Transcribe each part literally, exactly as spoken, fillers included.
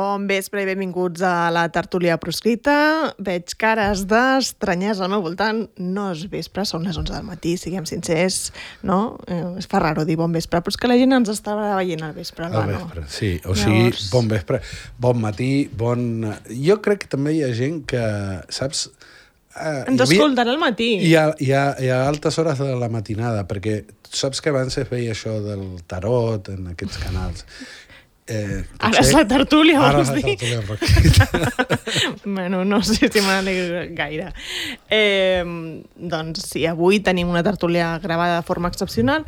Bon vespre i benvinguts a la tertúlia proscrita. Veig cares d'estranyesa al meu voltant. No és vespre, són les onze del matí, siguem sincers, no? Eh, es fa raro dir bon vespre, però és que la gent ens està veient al vespre. Al vespre, sí. O sigui, Llavors... bon vespre, bon matí, bon... Jo crec que també hi ha gent que, saps... Eh, ens escolten al matí. Hi ha, hi, ha, hi ha altes hores de la matinada, perquè saps que abans es veia això del tarot en aquests canals. Eh, ara és la tertúlia, ara vols dir? Ara és la tertúlia. Bueno, no sé si m'alegro gaire. Eh, doncs sí, avui tenim una tertúlia gravada de forma excepcional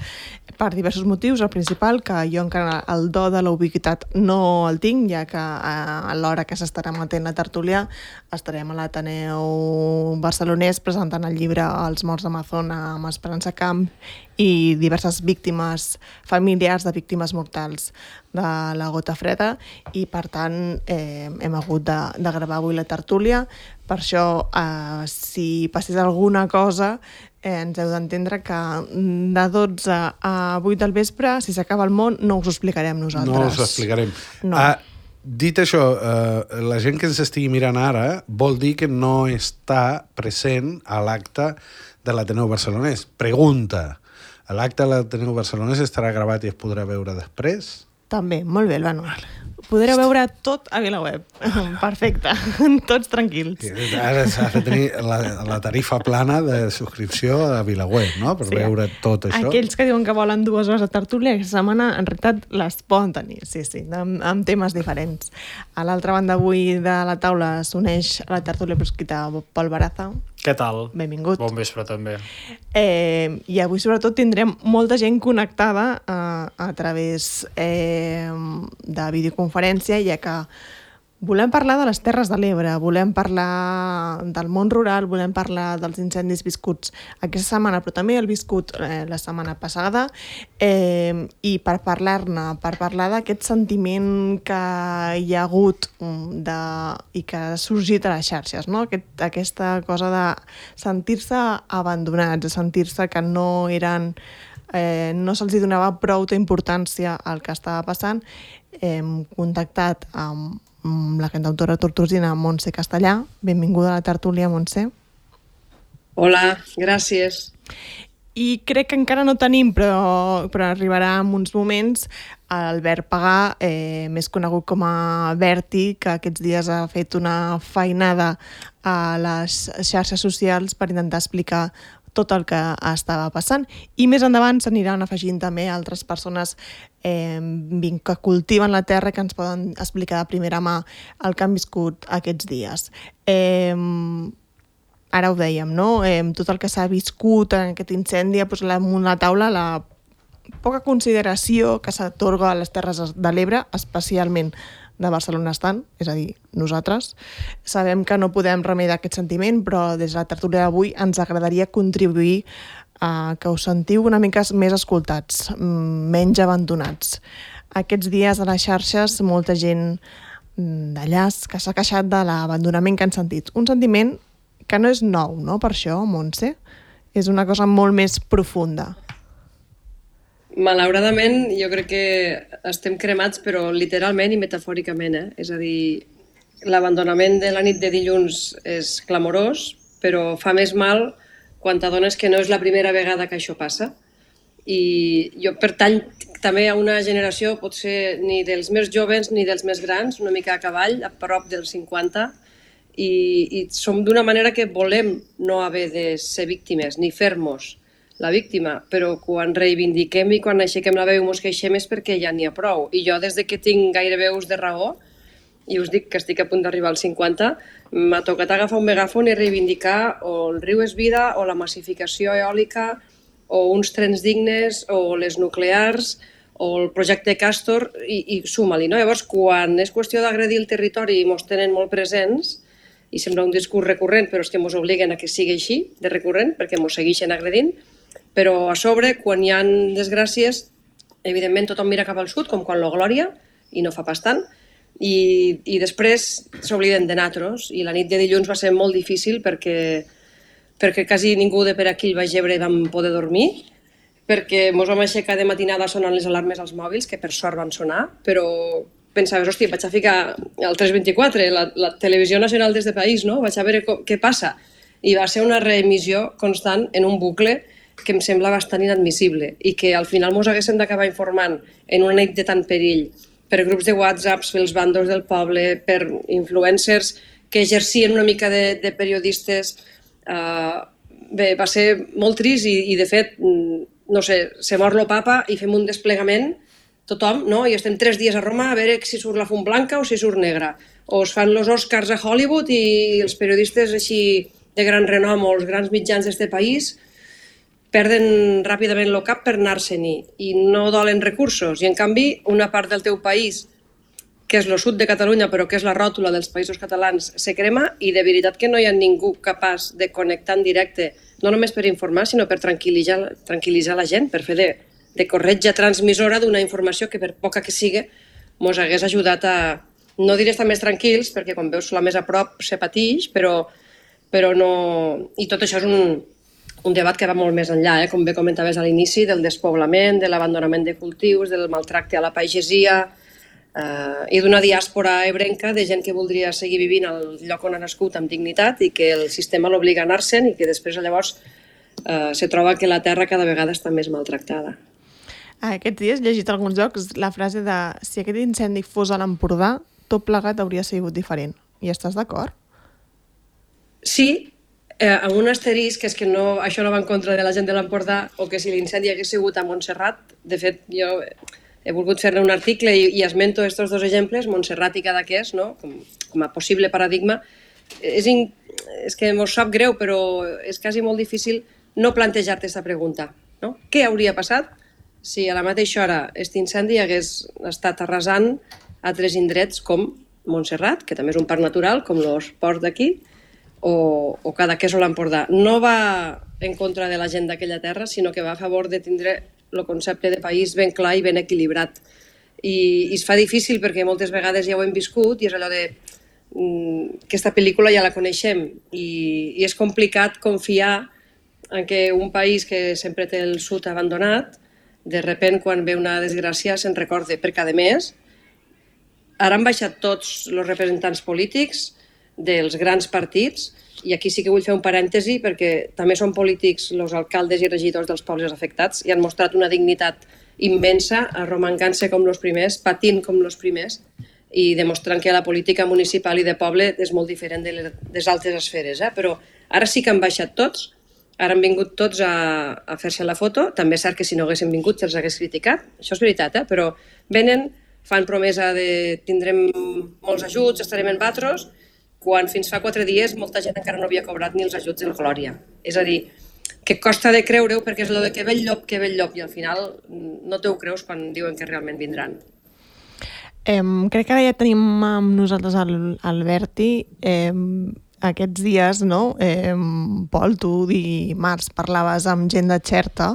per diversos motius. El principal, que jo encara el do de la ubiquitat no el tinc, ja que a l'hora que s'estarà emetent la tertúlia estarem a l'Ateneu Barcelonès presentant el llibre Els morts d'Amazona amb Esperança Camp i diverses víctimes familiars de víctimes mortals de la gota freda, i per tant eh, hem hagut de, de gravar avui la tertúlia. Per això, eh, si passés alguna cosa, eh, ens heu d'entendre que de dotze a vuit del vespre, si s'acaba el món, no us ho explicarem nosaltres. No us ho explicarem. No. Ah, dit això, eh, la gent que ens estigui mirant ara vol dir que no està present a l'acte de l'Ateneu Barcelonès. Pregunta: l'acte de l'Ateneu Barcelonès estarà gravat i es podrà veure després? També, molt bé, Albano. Podreu veure tot a VilaWeb. Perfecte, tots tranquils. Ara s'ha de tenir la, la tarifa plana de subscripció a VilaWeb, no? Per sí, veure tot això. Aquells que diuen que volen dues hores de tertúlia, aquesta setmana en realitat les poden tenir, sí, sí, amb, amb temes diferents. A l'altra banda avui de la taula s'uneix a la tertúlia proscrita Pol Baraza. Què tal? Benvingut. Bon vespre, també. Eh, I avui, sobretot, tindrem molta gent connectada eh, a través eh, de videoconferència, ja que volem parlar de les Terres de l'Ebre, volem parlar del món rural, volem parlar dels incendis viscuts aquesta setmana, però també el viscut eh, la setmana passada, eh, i per parlar-ne, per parlar d'aquest sentiment que hi ha hagut de, i que ha sorgit a les xarxes, no? Aquest, aquesta cosa de sentir-se abandonats, de sentir-se que no eren... Eh, no se'ls donava prou importància al que estava passant. Hem contactat amb la cantautora tortosina Montse Castellà. Benvinguda a la tertúlia, Montse. Hola, gràcies. I crec que encara no tenim, però, però arribarà en uns moments, Albert Pagà, eh, més conegut com a Berti, que aquests dies ha fet una feinada a les xarxes socials per intentar explicar tot el que estava passant. I més endavant s'aniran afegint també altres persones eh, que cultiven la terra, que ens poden explicar de primera mà el que han viscut aquests dies. Eh, ara ho dèiem, no? Eh, tot el que s'ha viscut en aquest incendi ha posat damunt la taula la poca consideració que s'atorga a les Terres de l'Ebre, especialment de Barcelona estant, és a dir, nosaltres. Sabem que no podem remediar aquest sentiment, però des de la tertúlia d'avui ens agradaria contribuir a que us sentiu una mica més escoltats, menys abandonats. Aquests dies a les xarxes molta gent d'allà que s'ha queixat de l'abandonament que han sentit. Un sentiment que no és nou, no? Per això, Montse, és una cosa molt més profunda. Malauradament, jo crec que estem cremats, però literalment i metafòricament, eh? És a dir, l'abandonament de la nit de dilluns és clamorós, però fa més mal quan t'adones que no és la primera vegada que això passa. I jo pertany també a una generació, potser ni dels més joves ni dels més grans, una mica a cavall, a prop dels cinquanta, i, i som d'una manera que volem no haver de ser víctimes, ni fer-nos la víctima, però quan reivindiquem i quan aixequem la veu i mos queixem és perquè ja n'hi ha prou. I jo, des de que tinc gairebé ús de raó, i us dic que estic a punt d'arribar als cinquanta, m'ha tocat agafar un megàfon i reivindicar o el riu és vida, o la massificació eòlica, o uns trens dignes, o les nuclears, o el projecte Castor, i, i suma-li, no? Llavors, quan és qüestió d'agredir el territori i mos tenen molt presents, i sembla un discurs recurrent, però és que mos obliguen a que sigui així, de recurrent, perquè mos segueixen agredint, Però a sobre, quan hi ha desgràcies, evidentment tothom mira cap al sud, com quan lo Glòria, i no fa pas tant, i, i després s'obliden de natros, i la nit de dilluns va ser molt difícil perquè, perquè quasi ningú de per aquí el Baix Ebre vam poder dormir, perquè mos vam aixecar de matinada sonant les alarmes als mòbils, que per sort van sonar, però pensaves, hòstia, vaig a ficar el tres vint-i-quatre, la, la televisió nacional d'este país, no? Vaig a veure com, què passa. I va ser una reemissió constant en un bucle que em sembla bastant inadmissible i que al final mos haguéssim d'acabar informant en una nit de tant perill per grups de whatsapps, pels bandos del poble, per influencers que exercien una mica de, de periodistes. Uh, bé, va ser molt trist i, i de fet, no sé, se mor lo papa i fem un desplegament tothom, no? I estem tres dies a Roma a veure si surt la fum blanca o si surt negra. O es fan els Oscars a Hollywood i els periodistes així de gran renom o els grans mitjans d'este país perden ràpidament el cap per anar-se'n-hi i no dolen recursos. I en canvi, una part del teu país, que és el sud de Catalunya, però que és la ròtula dels països catalans, se crema i de veritat que no hi ha ningú capaç de connectar en directe, no només per informar, sinó per tranquil·litzar, tranquil·litzar la gent, per fer de, de corretja transmissora d'una informació que per poca que sigui mos hagués ajudat a, no diré estar més tranquils, perquè quan veus la més a prop se patix, però, però no... I tot això és un, un debat que va molt més enllà, eh? Com bé comentaves a l'inici, del despoblament, de l'abandonament de cultius, del maltracte a la pagesia eh, i d'una diàspora ebrenca de gent que voldria seguir vivint al lloc on ha nascut amb dignitat i que el sistema l'obliga a anar-se'n i que després llavors eh, se troba que la terra cada vegada està més maltractada. Aquests dies he llegit a alguns llocs la frase de si aquest incendi fos a l'Empordà, tot plegat hauria sigut diferent. I estàs d'acord? Sí, eh, amb un asterisc, que és que no, això no va en contra de la gent de l'Empordà, o que si l'incendi hagués sigut a Montserrat, de fet, jo he volgut fer-ne un article i, i esmento aquests dos exemples, Montserrat i Cadaqués, no? com, com a possible paradigma. És, in, és que mos sap greu, però és quasi molt difícil no plantejar-te aquesta pregunta. No? Què hauria passat si a la mateixa hora aquest incendi hagués estat arrasant altres indrets com Montserrat, que també és un parc natural, com l'Esport d'aquí, o, o Cadaqués o l'Empordà. No va en contra de la gent d'aquella terra, sinó que va a favor de tindre el concepte de país ben clar i ben equilibrat. I, i es fa difícil perquè moltes vegades ja ho hem viscut i és allò de mm, aquesta pel·lícula ja la coneixem i, i és complicat confiar en que un país que sempre té el sud abandonat, de repent quan ve una desgràcia se'n recorde, perquè a més ara han baixat tots els representants polítics dels grans partits, i aquí sí que vull fer un parèntesi perquè també són polítics els alcaldes i regidors dels pobles afectats i han mostrat una dignitat immensa, arromangant-se com els primers, patint com els primers i demostrant que la política municipal i de poble és molt diferent de les altres esferes. Eh? Però ara sí que han baixat tots, ara han vingut tots a, a fer-se la foto, també és cert que si no haguessin vingut se'ls hagués criticat, això és veritat, eh? Però venen, fan promesa de tindrem molts ajuts, estarem en batros, quan fins fa quatre dies molta gent encara no havia cobrat ni els ajuts del Glòria. És a dir, que costa de creure-ho perquè és allò de que ve el llop, que ve el llop, i al final no te ho creus quan diuen que realment vindran. Eh, crec que ara ja tenim amb nosaltres el, el Berti. Eh, aquests dies, no? Eh, Pol, tu dimarts parlaves amb gent de Xerta,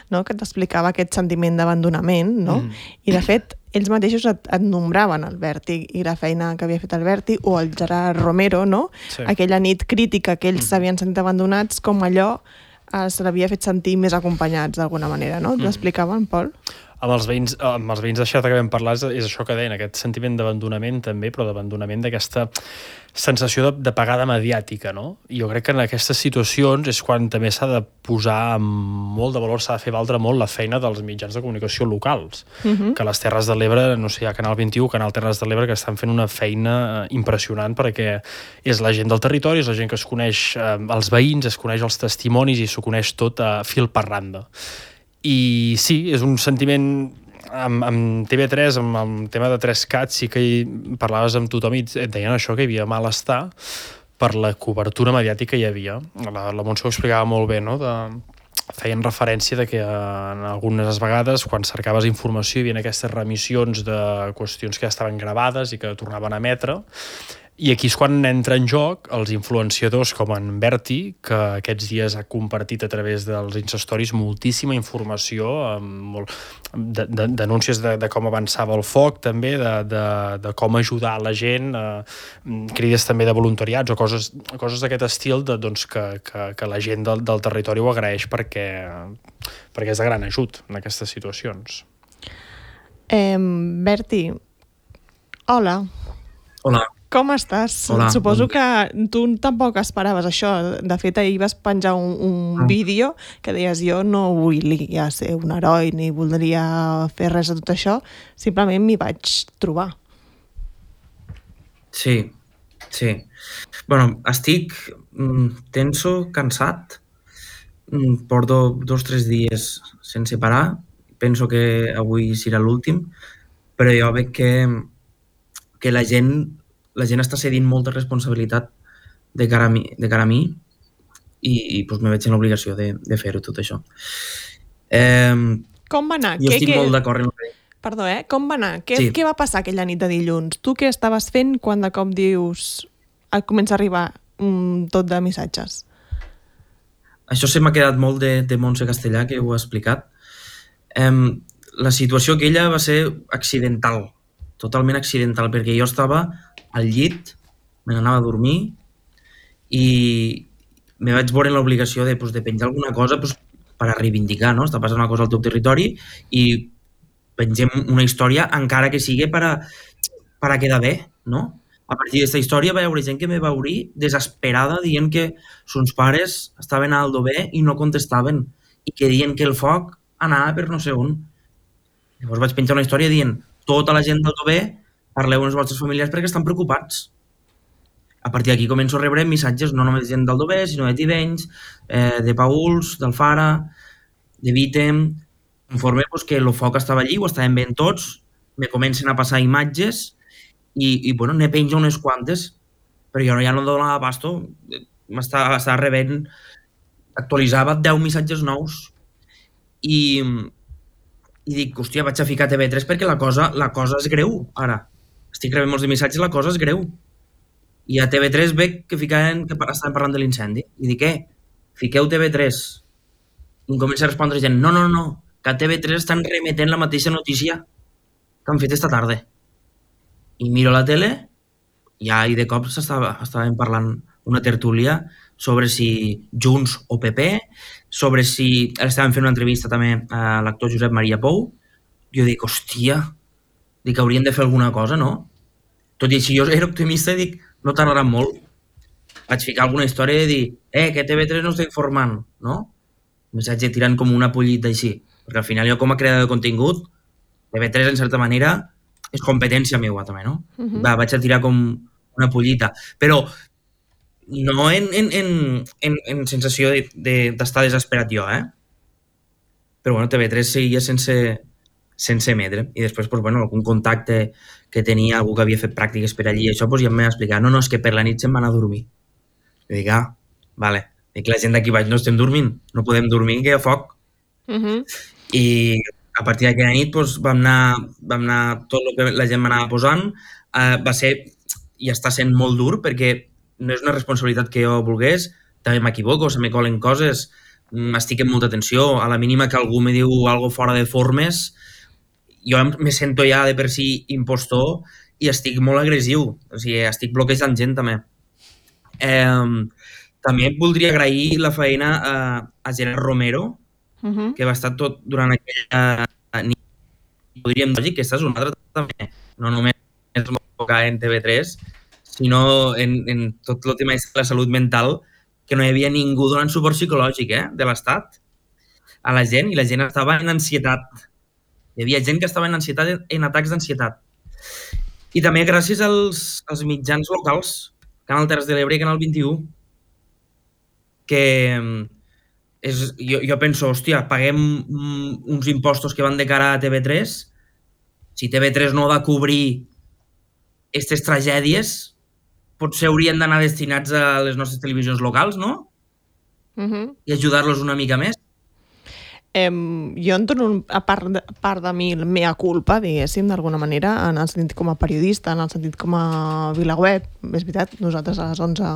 no? Que t'explicava aquest sentiment d'abandonament, no? Mm. I de fet, ells mateixos et, et nombraven el Berti i la feina que havia fet el Berti, o el Gerard Romero, no? Sí. Aquella nit crítica que ells s'havien mm. sentit abandonats, com allò eh, se l'havia fet sentir més acompanyats d'alguna manera, no? Mm. T'explicaven, Pol? Amb els veïns, amb els veïns de Xerta que vam parlar és, és això que deien, aquest sentiment d'abandonament també, però d'abandonament d'aquesta sensació de, de pagada mediàtica, no? I jo crec que en aquestes situacions és quan també s'ha de posar amb molt de valor, s'ha de fer valdre molt la feina dels mitjans de comunicació locals, uh-huh. que a les Terres de l'Ebre, no sé, hi ha Canal vint-i-u, Canal Terres de l'Ebre, que estan fent una feina impressionant perquè és la gent del territori, és la gent que es coneix eh, els veïns, es coneix els testimonis i s'ho coneix tot a fil per randa. I sí, és un sentiment amb, amb T V tres, amb el tema de tres cat, sí que hi parlaves amb tothom i et deien això, que hi havia malestar per la cobertura mediàtica que hi havia. La, la Montse ho explicava molt bé, no? De, feien referència de que en algunes vegades quan cercaves informació hi havia aquestes remissions de qüestions que ja estaven gravades i que tornaven a emetre I aquí és quan entra en joc els influenciadors com en Berti, que aquests dies ha compartit a través dels Insta Stories moltíssima informació, amb molt, de, de, denúncies de, de com avançava el foc, també, de, de, de com ajudar la gent, eh, crides també de voluntariats o coses, coses d'aquest estil de, doncs, que, que, que la gent del, del territori ho agraeix perquè, perquè és de gran ajut en aquestes situacions. Eh, Berti, hola. Hola. Com estàs? Hola. Suposo que tu tampoc esperaves això. De fet, ahir vas penjar un, un No. vídeo que deies jo no volia ser un heroi ni voldria fer res de tot això, simplement m'hi vaig trobar. Sí, sí. Bueno, estic mm, tenso, cansat. Mm, porto dos o tres dies sense parar. Penso que avui serà l'últim, però jo veig que, que la gent la gent està cedint molta responsabilitat de cara a mi, de cara a mi i, i doncs me veig en l'obligació de, de fer-ho tot això. Eh, Com va anar? jo Què- estic què- molt d'acord en el que Perdó, eh? Com va anar? Què, Sí. què va passar aquella nit de dilluns? Tu què estaves fent quan de cop dius... et comença a arribar mm, tot de missatges? Això se m'ha quedat molt de, de Montse Castellà, que ho ha explicat. Um, la situació aquella va ser accidental, totalment accidental, perquè jo estava al llit, me n'anava a dormir i me vaig veure en l'obligació de, pues, de penjar alguna cosa pues, per a reivindicar, no? Està passant una cosa al teu territori i pengem una història encara que sigui per a, per a quedar bé, no? A partir d'aquesta història va haver gent que me va obrir desesperada dient que sons pares estaven a Aldover i no contestaven i que dient que el foc anava per no sé on. Llavors vaig penjar una història dient tota la gent d'Aldover parleu amb els vostres familiars perquè estan preocupats. A partir d'aquí començo a rebre missatges no només de gent d'Aldover, sinó de Tivenys, eh, de Pauls, d'Alfara, de Vítem, conforme pues, que el foc estava allí, ho estaven veient tots, me comencen a passar imatges i, i bueno, ne penjo unes quantes, però jo ja no donava pasto, m'estava estava rebent, actualitzava deu missatges nous i, i dic, hòstia, vaig a ficar T V tres perquè la cosa, la cosa és greu, ara. Estic rebent molts de missatges, la cosa és greu. I a T V tres veig que ficaven, que estaven parlant de l'incendi. I dic, què? Fiqueu T V tres. I em comença a respondre gent, no, no, no, que a T V tres estan remetent la mateixa notícia que han fet esta tarda. I miro la tele i ja, i de cop estàvem parlant una tertúlia sobre si Junts o P P, sobre si... Estàvem fent una entrevista també a l'actor Josep Maria Pou. Jo dic, hòstia, dic, hauríem de fer alguna cosa, no? Tot i així jo era optimista i dic, no tardarà molt. Vaig ficar alguna història i dir, eh, que T V tres no està informant, no? Un missatge tirant com una pollita així. Perquè al final jo com a creador de contingut, T V tres en certa manera és competència meua també, no? Uh-huh. Va, vaig a tirar com una pollita. Però no en, en, en, en, en sensació d'estar de, de, desesperat jo, eh? Però bueno, T V tres seguia sense, sense emetre. I després, pues, bueno, algun contacte que tenia, algú que havia fet pràctiques per allí, això pues, ja em va explicar, no, no, és que per la nit se'm va anar a dormir. I dic, ah, vale. Dic, la gent d'aquí baix no estem dormint, no podem dormir, que hi ha foc. Uh-huh. I a partir d'aquella nit pues, vam, anar, vam anar tot el que la gent m'anava posant. Uh, va ser, i està sent molt dur, perquè no és una responsabilitat que jo volgués, també m'equivoco, se me colen coses, estic en molta tensió, a la mínima que algú me diu algo fora de formes, jo me sento ja de per si impostor i estic molt agressiu, o sigui, estic bloquejant gent també. Eh, també voldria agrair la feina a, a Gerard Romero, uh-huh. que va estar tot durant aquella nit. Podríem dir que aquesta és una altra també, no només en T V tres, sinó en, en tot el tema de la salut mental, que no hi havia ningú donant suport psicològic eh, de l'Estat a la gent, i la gent estava en ansietat. Hi havia gent que estava en ansietat, en atacs d'ansietat. I també gràcies als, als mitjans locals, Canal Terres de l'Ebre i Canal vint-i-u, que és, jo, jo penso, hòstia, paguem uns impostos que van de cara a T V tres, si T V tres no va cobrir aquestes tragèdies, potser haurien d'anar destinats a les nostres televisions locals, no? Uh-huh. I ajudar-los una mica més. Eh, jo en dono un, a part de, a part de mi la meva culpa, diguéssim, d'alguna manera, en el sentit com a periodista, en el sentit com a VilaWeb. És veritat, nosaltres a les onze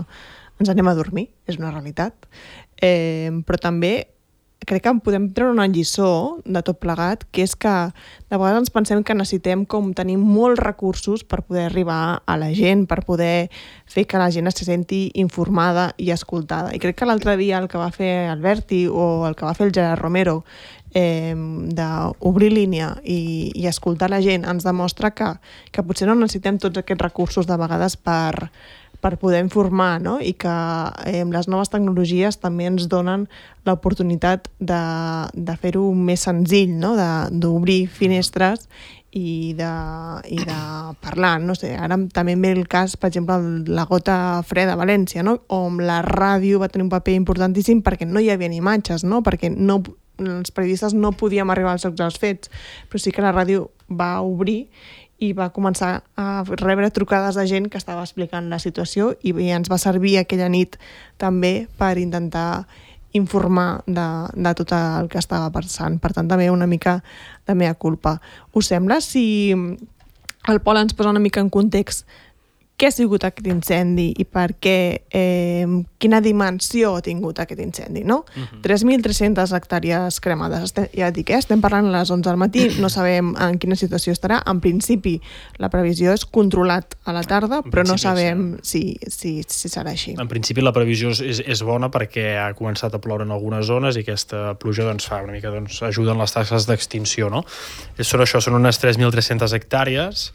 ens anem a dormir, és una realitat. Eh, però també crec que podem treure una lliçó de tot plegat, que és que de vegades ens pensem que necessitem com tenir molts recursos per poder arribar a la gent, per poder fer que la gent se senti informada i escoltada. I crec que l'altre dia el que va fer el Berti o el que va fer el Gerard Romero eh, d'obrir línia i, i escoltar la gent ens demostra que, que potser no necessitem tots aquests recursos de vegades per per poder informar, no? I que eh, les noves tecnologies també ens donen l'oportunitat de, de fer-ho més senzill, no? D'obrir finestres i de, i de parlar. No sé, ara també em ve el cas, per exemple, la gota freda a València, no? On la ràdio va tenir un paper importantíssim perquè no hi havia imatges, no? Perquè no, els periodistes no podíem arribar als llocs dels fets, però sí que la ràdio va obrir i va començar a rebre trucades de gent que estava explicant la situació i ens va servir aquella nit també per intentar informar de, de tot el que estava passant. Per tant, també una mica de mea culpa. Us sembla si el Pol ens posa una mica en context què ha sigut aquest incendi i per què, eh, quina dimensió ha tingut aquest incendi, no? Uh-huh. tres mil tres-centes hectàrees cremades. Estem, ja et dic, eh? Estem parlant a les onze del matí, no sabem en quina situació estarà. En principi, la previsió és controlat a la tarda, en però no sabem si, si, si serà així. En principi, la previsió és, és bona perquè ha començat a ploure en algunes zones i aquesta pluja doncs, fa una mica doncs, ajuda en les taxes d'extinció, no? Són això, són unes tres mil tres-centes hectàrees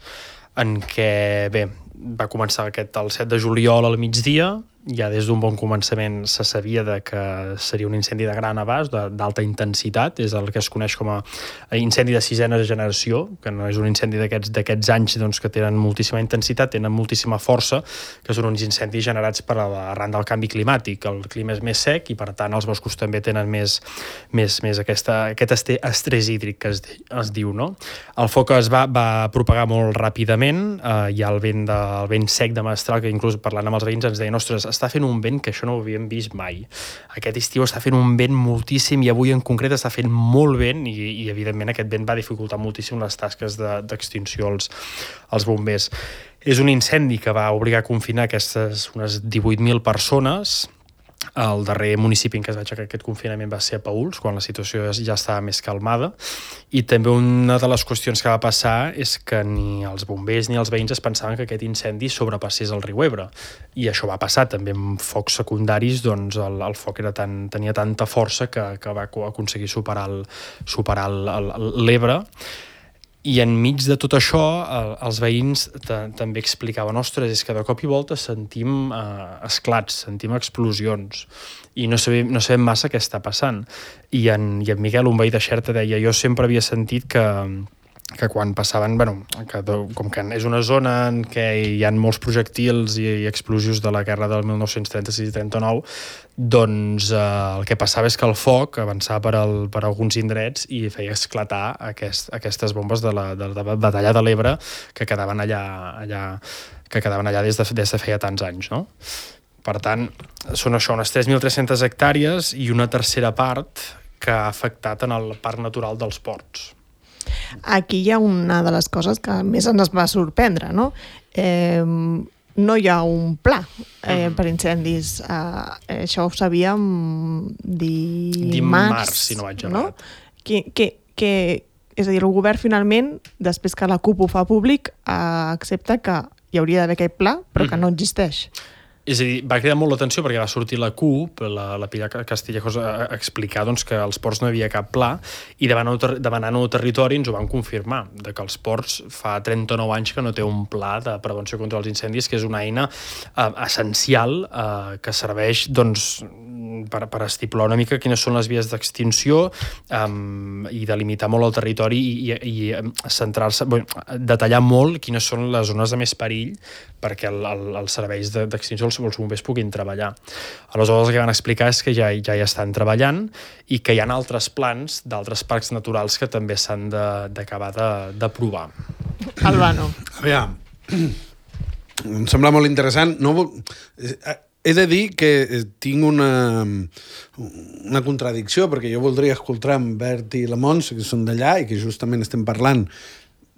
en què, bé, va començar aquest el set de juliol al migdia, ja des d'un bon començament se sabia de que seria un incendi de gran abast, d'alta intensitat, és el que es coneix com a incendi de sisena generació, que no és un incendi d'aquests d'aquests anys doncs, que tenen moltíssima intensitat, tenen moltíssima força, que són uns incendis generats per arran del canvi climàtic. El clima és més sec i, per tant, els boscos també tenen més, més, més aquesta, aquest estrès hídric que es, es diu, no? El foc es va, va propagar molt ràpidament, eh, hi ha el vent, de, el vent sec de Mestral, que inclús parlant amb els veïns ens deien, ostres, està fent un vent que això no ho havíem vist mai. Aquest estiu està fent un vent moltíssim i avui en concret està fent molt vent i, i evidentment aquest vent va dificultar moltíssim les tasques d'extinció als, als bombers. És un incendi que va obligar a confinar aquestes unes divuit mil persones. El darrer municipi en què es va aixecar aquest confinament va ser a Paüls, quan la situació ja estava més calmada, i també una de les qüestions que va passar és que ni els bombers ni els veïns es pensaven que aquest incendi sobrepassés el riu Ebre, i això va passar també amb focs secundaris, doncs el, el foc era tan, tenia tanta força que, que va aconseguir superar el, superar l'Ebre. I enmig de tot això, els veïns també explicaven, ostres, és que de cop i volta sentim eh, esclats, sentim explosions, i no sabem, no sabem massa què està passant. I en, i en Miquel, un veí de Xerta, deia, jo sempre havia sentit que, que quan passaven, bueno, que, com que és una zona en què hi ha molts projectils i, i explosius de la guerra del mil nou-cents trenta-sis i trenta-nou, doncs eh, el que passava és que el foc avançava per, el, per alguns indrets i feia esclatar aquest, aquestes bombes de la, de la batalla de l'Ebre que quedaven allà, allà, que quedaven allà des de, des de feia tants anys, no? Per tant, són això, unes tres mil tres-centes hectàrees i una tercera part que ha afectat en el Parc Natural dels Ports. Aquí hi ha una de les coses que més ens va sorprendre, no? Eh, no hi ha un pla eh, per incendis. Eh, això ho sabíem dimarts, dimarts, si no vaig errat. No? Que, que, que, és a dir, el govern finalment, després que la CUP ho fa públic, eh, accepta que hi hauria d'haver aquest pla, però que no existeix. És a dir, va cridar molt l'atenció perquè va sortir la CUP, la, la Pilar Castillejos, a, a explicar doncs, que als ports no hi havia cap pla, i demanant el territori ens ho van confirmar, de que els ports fa trenta-nou anys que no té un pla de prevenció contra els incendis, que és una eina eh, essencial eh, que serveix doncs, per, per estipular una mica quines són les vies d'extinció um, i delimitar molt el territori i, i, i centrar-se, bueno, detallar molt quines són les zones de més perill perquè el, el, els serveis d'extinció els, els bombers puguin treballar. Aleshores el que van explicar és que ja, ja hi estan treballant i que hi ha altres plans d'altres parcs naturals que també s'han d'acabar d'aprovar. Albano. Aviam, em sembla molt interessant. No, he de dir que tinc una, una contradicció, perquè jo voldria escoltar en Bert i la Montse, que són d'allà, i que justament estem parlant,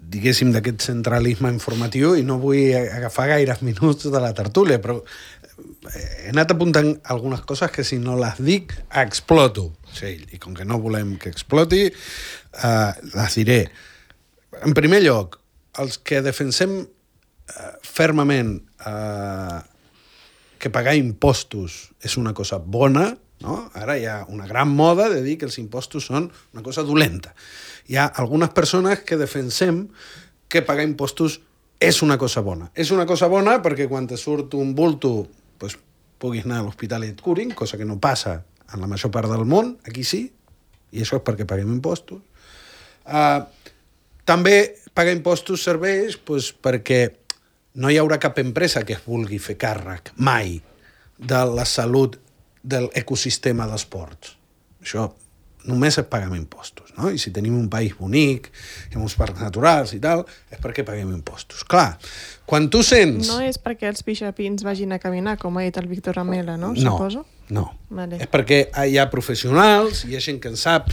diguéssim, d'aquest centralisme informatiu, i no vull agafar gaires minuts de la tertúlia, però he anat apuntant algunes coses que si no les dic, exploto. Sí, i com que no volem que exploti, eh, les diré. En primer lloc, els que defensem eh, fermament eh, que pagar impostos és una cosa bona, no? Ara hi ha una gran moda de dir que els impostos són una cosa dolenta. Hi ha algunes persones que defensem que pagar impostos és una cosa bona. És una cosa bona perquè quan te surt un bulto pues, puguis anar a l'hospital i et curin, cosa que no passa en la major part del món, aquí sí, i això és perquè paguem impostos. Uh, també pagar impostos serveix pues, perquè no hi haurà cap empresa que es vulgui fer càrrec, mai, de la salut de l'ecosistema dels ports. Això només es pagar impostos, no? I si tenim un país bonic, amb uns parcs naturals i tal, és perquè paguem impostos. Clar, quan tu sents... No és perquè els pixapins vagin a caminar, com ha dit el Víctor Amela, no? No, Suposo? no. Vale. És perquè hi ha professionals, hi ha gent que en sap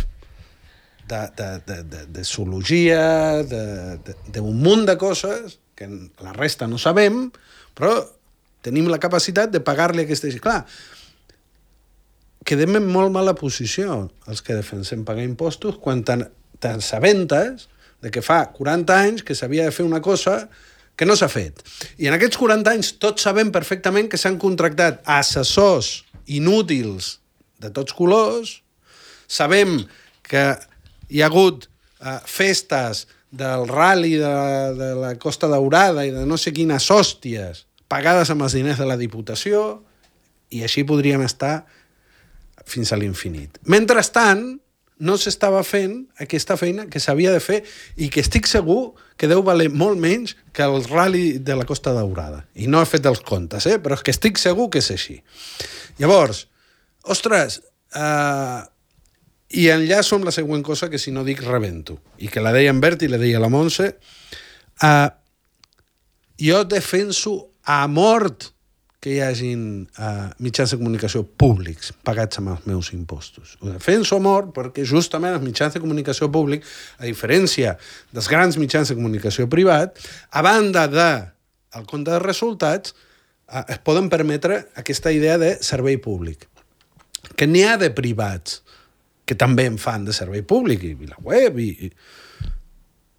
de, de, de, de, de zoologia, d'un munt de coses que la resta no sabem, però tenim la capacitat de pagar-li aquesta... Clar, quedem en molt mala posició els que defensem pagar impostos quan t'assabentes de que fa quaranta anys que s'havia de fer una cosa que no s'ha fet. I en aquests quaranta anys tots sabem perfectament que s'han contractat assessors inútils de tots colors, sabem que hi ha hagut uh, festes del rally de, de la Costa Daurada i de no sé quines hòsties pagades amb els diners de la Diputació, i així podríem estar fins a l'infinit. Mentrestant, no s'estava fent aquesta feina que s'havia de fer i que estic segur que deu valer molt menys que el rally de la Costa Daurada. I no he fet els comptes, eh? Però és que estic segur que és així. Llavors, ostres, eh, i enllaço amb la següent cosa que si no dic rebento, i que la deia en Bert i la deia la Montse. Uh, jo defenso a mort que hi hagin uh, mitjans de comunicació públics pagats amb els meus impostos. Ho defenso a mort perquè justament els mitjans de comunicació públics, a diferència dels grans mitjans de comunicació privat, a banda del compte de resultats, uh, es poden permetre aquesta idea de servei públic. Que n'hi ha de privats que també en fan de servei públic, i la web, i, i...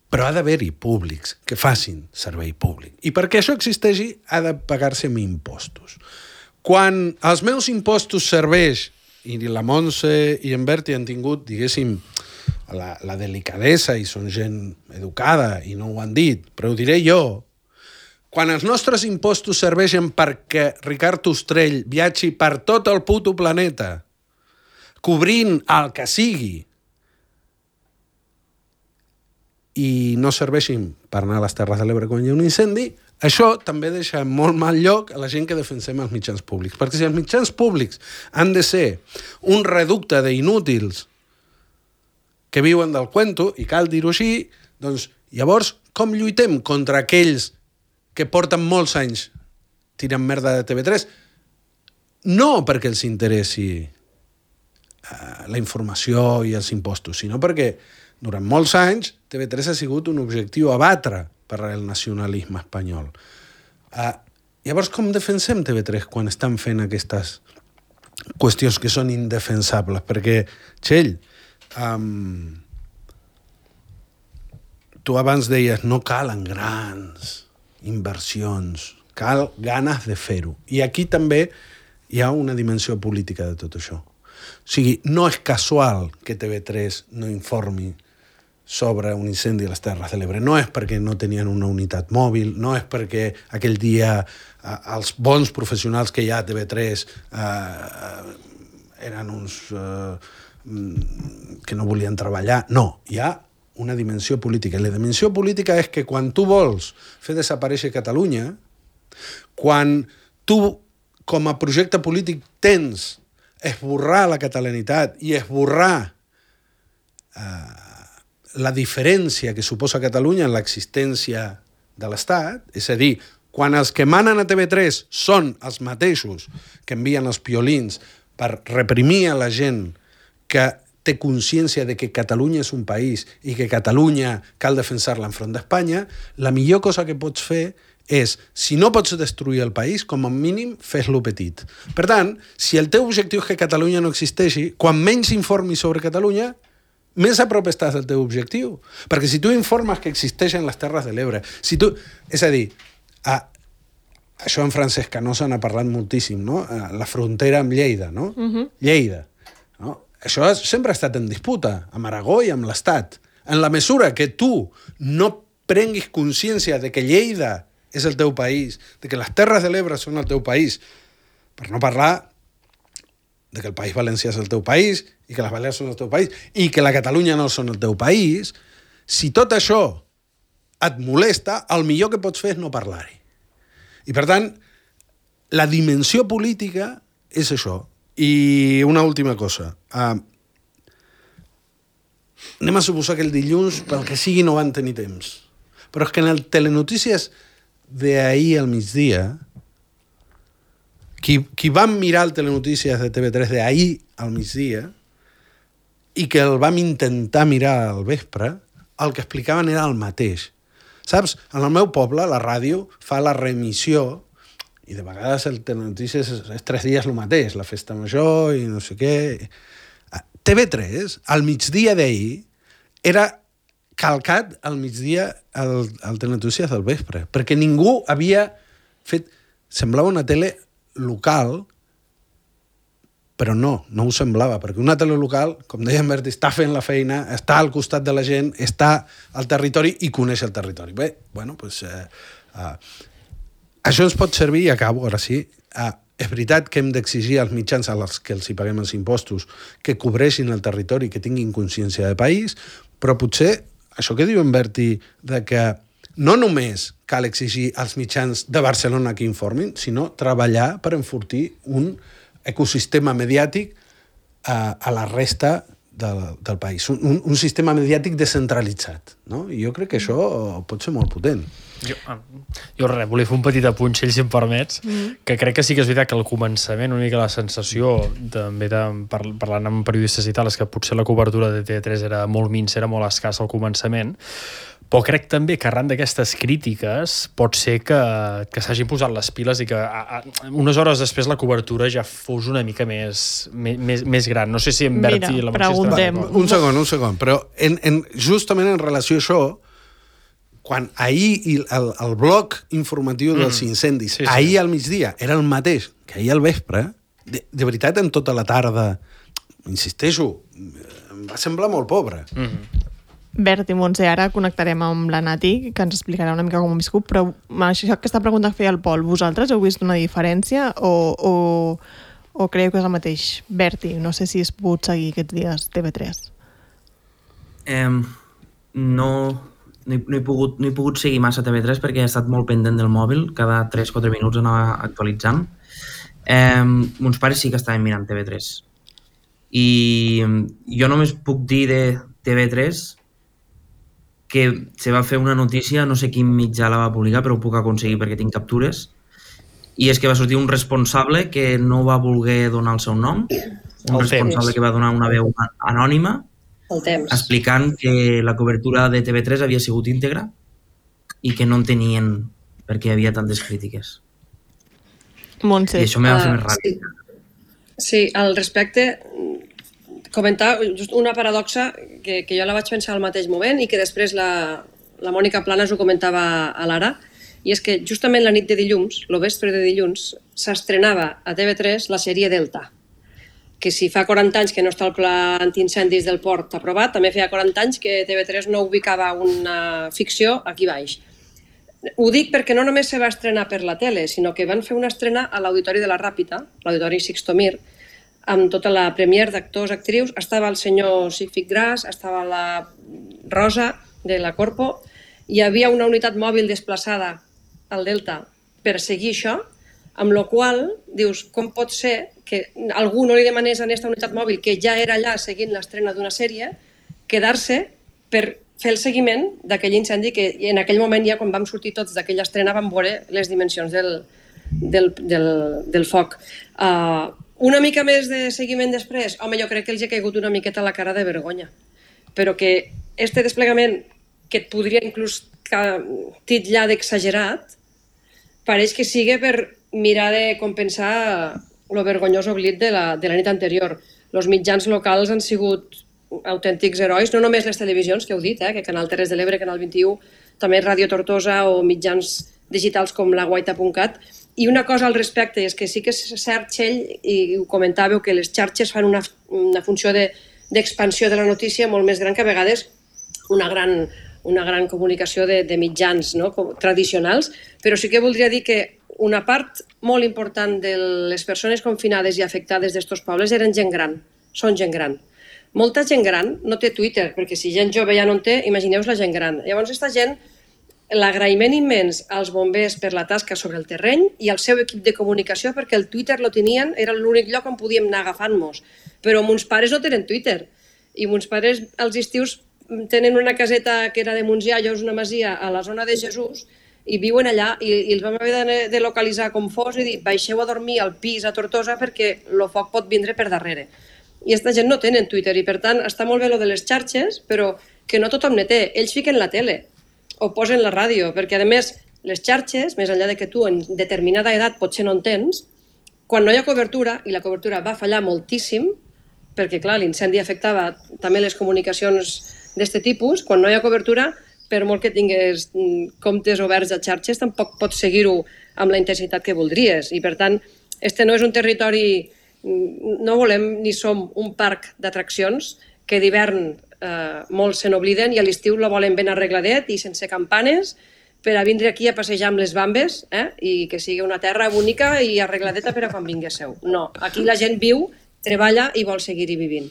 però ha d'haver-hi públics que facin servei públic. I perquè això existeixi, ha de pagar-se amb impostos. Quan els meus impostos serveix, i la Montse i en Berti han tingut, diguéssim, la, la delicadesa, i són gent educada, i no ho han dit, però ho diré jo, quan els nostres impostos serveixen perquè Ricard Ostrell viatgi per tot el puto planeta, cobrint el que sigui, i no serveixin per anar a les Terres de l'Ebre quan hi ha un incendi, això també deixa molt mal lloc a la gent que defensem els mitjans públics. Perquè si els mitjans públics han de ser un reducte d'inútils que viuen del cuento, i cal dir-ho així, doncs llavors com lluitem contra aquells que porten molts anys tirant merda de T V tres? No perquè els interessi la informació i els impostos, sinó perquè durant molts anys T V tres ha sigut un objectiu a batre per al nacionalisme espanyol. Uh, llavors, com defensem T V tres quan estan fent aquestes qüestions que són indefensables? Perquè, Txell, um, tu abans deies no calen grans inversions, cal ganes de fer-ho. I aquí també hi ha una dimensió política de tot això. O sigui, no és casual que T V tres no informi sobre un incendi a les Terres de l'Ebre. No és perquè no tenien una unitat mòbil, no és perquè aquell dia eh, els bons professionals que hi ha a T V tres eh, eren uns eh, que no volien treballar. No, hi ha una dimensió política. I la dimensió política és que quan tu vols fer desaparèixer Catalunya, quan tu com a projecte polític tens esborrar la catalanitat i esborrar eh, la diferència que suposa Catalunya en l'existència de l'Estat, és a dir, quan els que manen a T V tres són els mateixos que envien els piolins per reprimir a la gent que té consciència de que Catalunya és un país i que Catalunya cal defensar-la enfront d'Espanya, la millor cosa que pots fer és, si no pots destruir el país, com a mínim, fes-lo petit. Per tant, si el teu objectiu és que Catalunya no existeixi, quan menys informis sobre Catalunya, més a prop estàs del teu objectiu. Perquè si tu informes que existeixen les Terres de l'Ebre, si tu... És a dir, a, això en Francesc Canosa n'ha parlat moltíssim, no? A la frontera amb Lleida, no? Uh-huh. Lleida. No? Això sempre ha estat en disputa, amb Aragó i amb l'Estat. En la mesura que tu no prenguis consciència de que Lleida és el teu país, de que les Terres de l'Ebre són el teu país, per no parlar de que el País Valencià és el teu país i que les Balears són el teu país i que la Catalunya no són el teu país, si tot això et molesta, el millor que pots fer és no parlar-hi. I, per tant, la dimensió política és això. I una última cosa. Uh, anem a suposar que el dilluns, pel que sigui, no van tenir temps. Però és que en el Telenotícies d'ahir al migdia, qui, qui va mirar el Telenotícies de T V tres d'ahir al migdia i que el vam intentar mirar al vespre, el que explicaven era el mateix. Saps? En el meu poble, la ràdio fa la remissió i de vegades el Telenotícies és, és tres dies el mateix, la festa major i no sé què. T V tres, al migdia d'ahir, era calcat al migdia al, al Telenotícies del vespre, perquè ningú havia fet... Semblava una tele local, però no, no ho semblava, perquè una tele local, com deia en Berti, està fent la feina, està al costat de la gent, està al territori i coneix el territori. Bé, bueno, doncs... Eh, eh, això ens pot servir, i acabo, ara sí, eh, és veritat que hem d'exigir als mitjans als que els hi paguem els impostos que cobreixin el territori, que tinguin consciència de país, però potser això que diu en Berti, de que no només cal exigir als mitjans de Barcelona que informin, sinó treballar per enfortir un ecosistema mediàtic a, a la resta del, del país. Un, un, un sistema mediàtic descentralitzat, no? I jo crec que això pot ser molt potent. Jo, jo res, volia fer un petit apuntxell, si em permets, mm. que crec que sí que és veritat que al començament una mica la sensació, també de, par, parlant amb periodistes i tal, és que potser la cobertura de T V tres era molt minsa, era molt escassa al començament, però crec també que arran d'aquestes crítiques pot ser que, que s'hagin posat les piles i que a, a, unes hores després la cobertura ja fos una mica més, més, més gran. No sé si en Berti... Mira, la preguntem. Un segon, un segon, però en, en, justament en relació a això, quan ahir el, el bloc informatiu mm. dels incendis, sí, sí. ahir al migdia, era el mateix que ahir al vespre, de, de veritat, en tota la tarda, insisteixo, em va semblar molt pobre. Mm. Bert i Montse, ara connectarem amb la Nati, que ens explicarà una mica com ho viscut, però això, aquesta pregunta que feia el Pol, vosaltres heu vist una diferència o, o, o creieu que és el mateix? Berti, no sé si has pogut seguir aquests dies T V tres. Eh, no... No he, no, he pogut, no he pogut seguir massa T V tres perquè he estat molt pendent del mòbil, cada tres quatre minuts anava actualitzant. Eh, mons pares sí que estaven mirant T V tres. I jo només puc dir de T V tres que se va fer una notícia, no sé quin mitjà la va publicar, però ho puc aconseguir perquè tinc captures, i és que va sortir un responsable que no va voler donar el seu nom, un el responsable temps. que va donar una veu anònima, El temps. explicant que la cobertura de T V tres havia sigut íntegra i que no entenien per què hi havia tantes crítiques. Montse. I això m'ha fet Uh, més ràpid. sí. sí, al respecte, comentar just una paradoxa que, que jo la vaig pensar al mateix moment i que després la, la Mònica Planas ho comentava a l'Ara, i és que justament la nit de dilluns, el vespre de dilluns, s'estrenava a T V tres la sèrie Delta, que si fa quaranta anys que no està el pla antiincendis del port aprovat, també feia quaranta anys que T V tres no ubicava una ficció aquí baix. Ho dic perquè no només se va estrenar per la tele, sinó que van fer una estrena a l'Auditori de la Ràpita, l'Auditori Sixto Mir, amb tota la premier d'actors, actrius. Estava el senyor Sigfrid Gras, estava la Rosa de la Corpo, hi havia una unitat mòbil desplaçada al Delta per seguir això, amb la qual dius, com pot ser que algú no li demanés a aquesta unitat mòbil, que ja era allà seguint l'estrena d'una sèrie, quedar-se per fer el seguiment d'aquell incendi que en aquell moment ja quan vam sortir tots d'aquella estrena vam veure les dimensions del, del, del, del foc. Uh, una mica més de seguiment després, home, jo crec que els ha caigut una miqueta a la cara de vergonya, però que este desplegament que et podria inclús titllar d'exagerat pareix que sigui per mirar de compensar el vergonyós oblit de la, de la nit anterior. Els mitjans locals han sigut autèntics herois, no només les televisions, que heu dit, eh, que Canal Terres de l'Ebre, Canal vint-i-u, també Ràdio Tortosa o mitjans digitals com la guaita punt cat. I una cosa al respecte és que sí que és cert, Txell, i ho comentàveu, que les xarxes fan una, una funció d'expansió de, de la notícia molt més gran que a vegades una gran, una gran comunicació de, de mitjans, no? Tradicionals, però sí que voldria dir que una part molt important de les persones confinades i afectades d'estos pobles eren gent gran, són gent gran. Molta gent gran no té Twitter, perquè si gent jove ja no en té, imagineu-vos la gent gran. Llavors, aquesta gent, l'agraïment immens als bombers per la tasca sobre el terreny i al seu equip de comunicació, perquè el Twitter lo tenien, era l'únic lloc on podíem anar agafant-nos. Però mons pares no tenen Twitter. I mons pares als estius tenen una caseta que era de Montsià, allò és una masia, a la zona de Jesús, i viuen allà, i, i els vam haver de, de localitzar com fos i dir, baixeu a dormir al pis a Tortosa perquè el foc pot vindre per darrere. I aquesta gent no tenen Twitter i per tant està molt bé lo de les xarxes, però que no tothom ne té. Ells fiquen la tele o posen la ràdio, perquè a més les xarxes, més enllà de que tu en determinada edat potser no en tens, quan no hi ha cobertura, i la cobertura va fallar moltíssim, perquè clar, l'incendi afectava també les comunicacions d'aquest tipus, quan no hi ha cobertura, per molt que tingués comptes oberts a xarxes, tampoc pots seguir-ho amb la intensitat que voldries. I per tant, este no és un territori, no volem ni som un parc d'atraccions que d'hivern eh, molts se n'obliden i a l'estiu la volen ben arregladet i sense campanes per a vindre aquí a passejar amb les bambes, eh? I que sigui una terra bonica i arregladeta per a quan vinguéssiu. No, aquí la gent viu, treballa i vol seguir-hi vivint.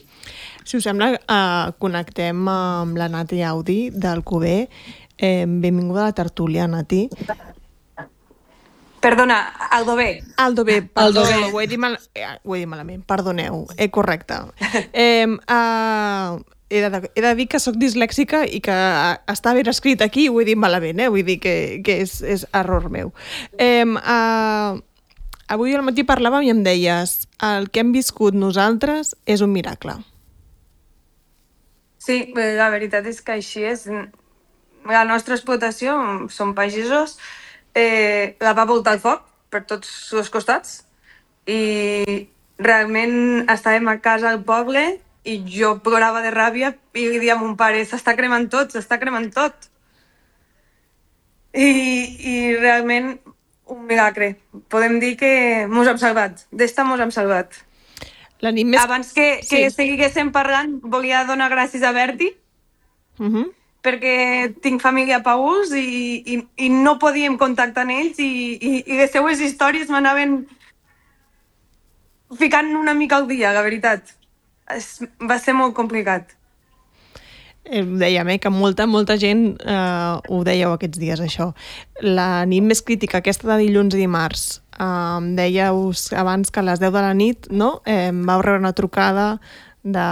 Si us sembla, eh, connectem amb la Nati Audi del Cuber. Eh, benvinguda a la tertúlia, Nati. Perdona, Aldo B. Aldo B, perdó, Aldo B. ho, he dit mal, eh, ho he dit malament, perdoneu, eh, correcte. Eh, eh, he, de, he de dir que sóc dislèxica i que està ben escrit aquí, ho he dit malament, eh? Vull dir que, que és, és error meu. Eh, eh, avui al matí parlàvem i em deies el que hem viscut nosaltres és un miracle. Sí, la veritat és que així és. La nostra explotació, som pagesos, eh, la va voltar el foc per tots els costats i realment estàvem a casa al poble i jo plorava de ràbia i li dia a mon pare, s'està cremant tot, s'està cremant tot. I, i realment un miracle. Podem dir que mos hem salvat. D'esta mos hem salvat. La nit més... Abans que, que Sí. seguíssim parlant, volia donar gràcies a Berti, Uh -huh. perquè tinc família a Paús i, i, i no podíem contactar amb ells i, i, i les seues històries m'anaven ficant una mica al dia, la veritat. Es, va ser molt complicat. Eh, dèiem, eh, que molta, molta gent eh, ho dèieu aquests dies, això. La nit més crítica, aquesta de dilluns i dimarts, eh, dèieu abans que a les deu de la nit, no? Eh, vau rebre una trucada de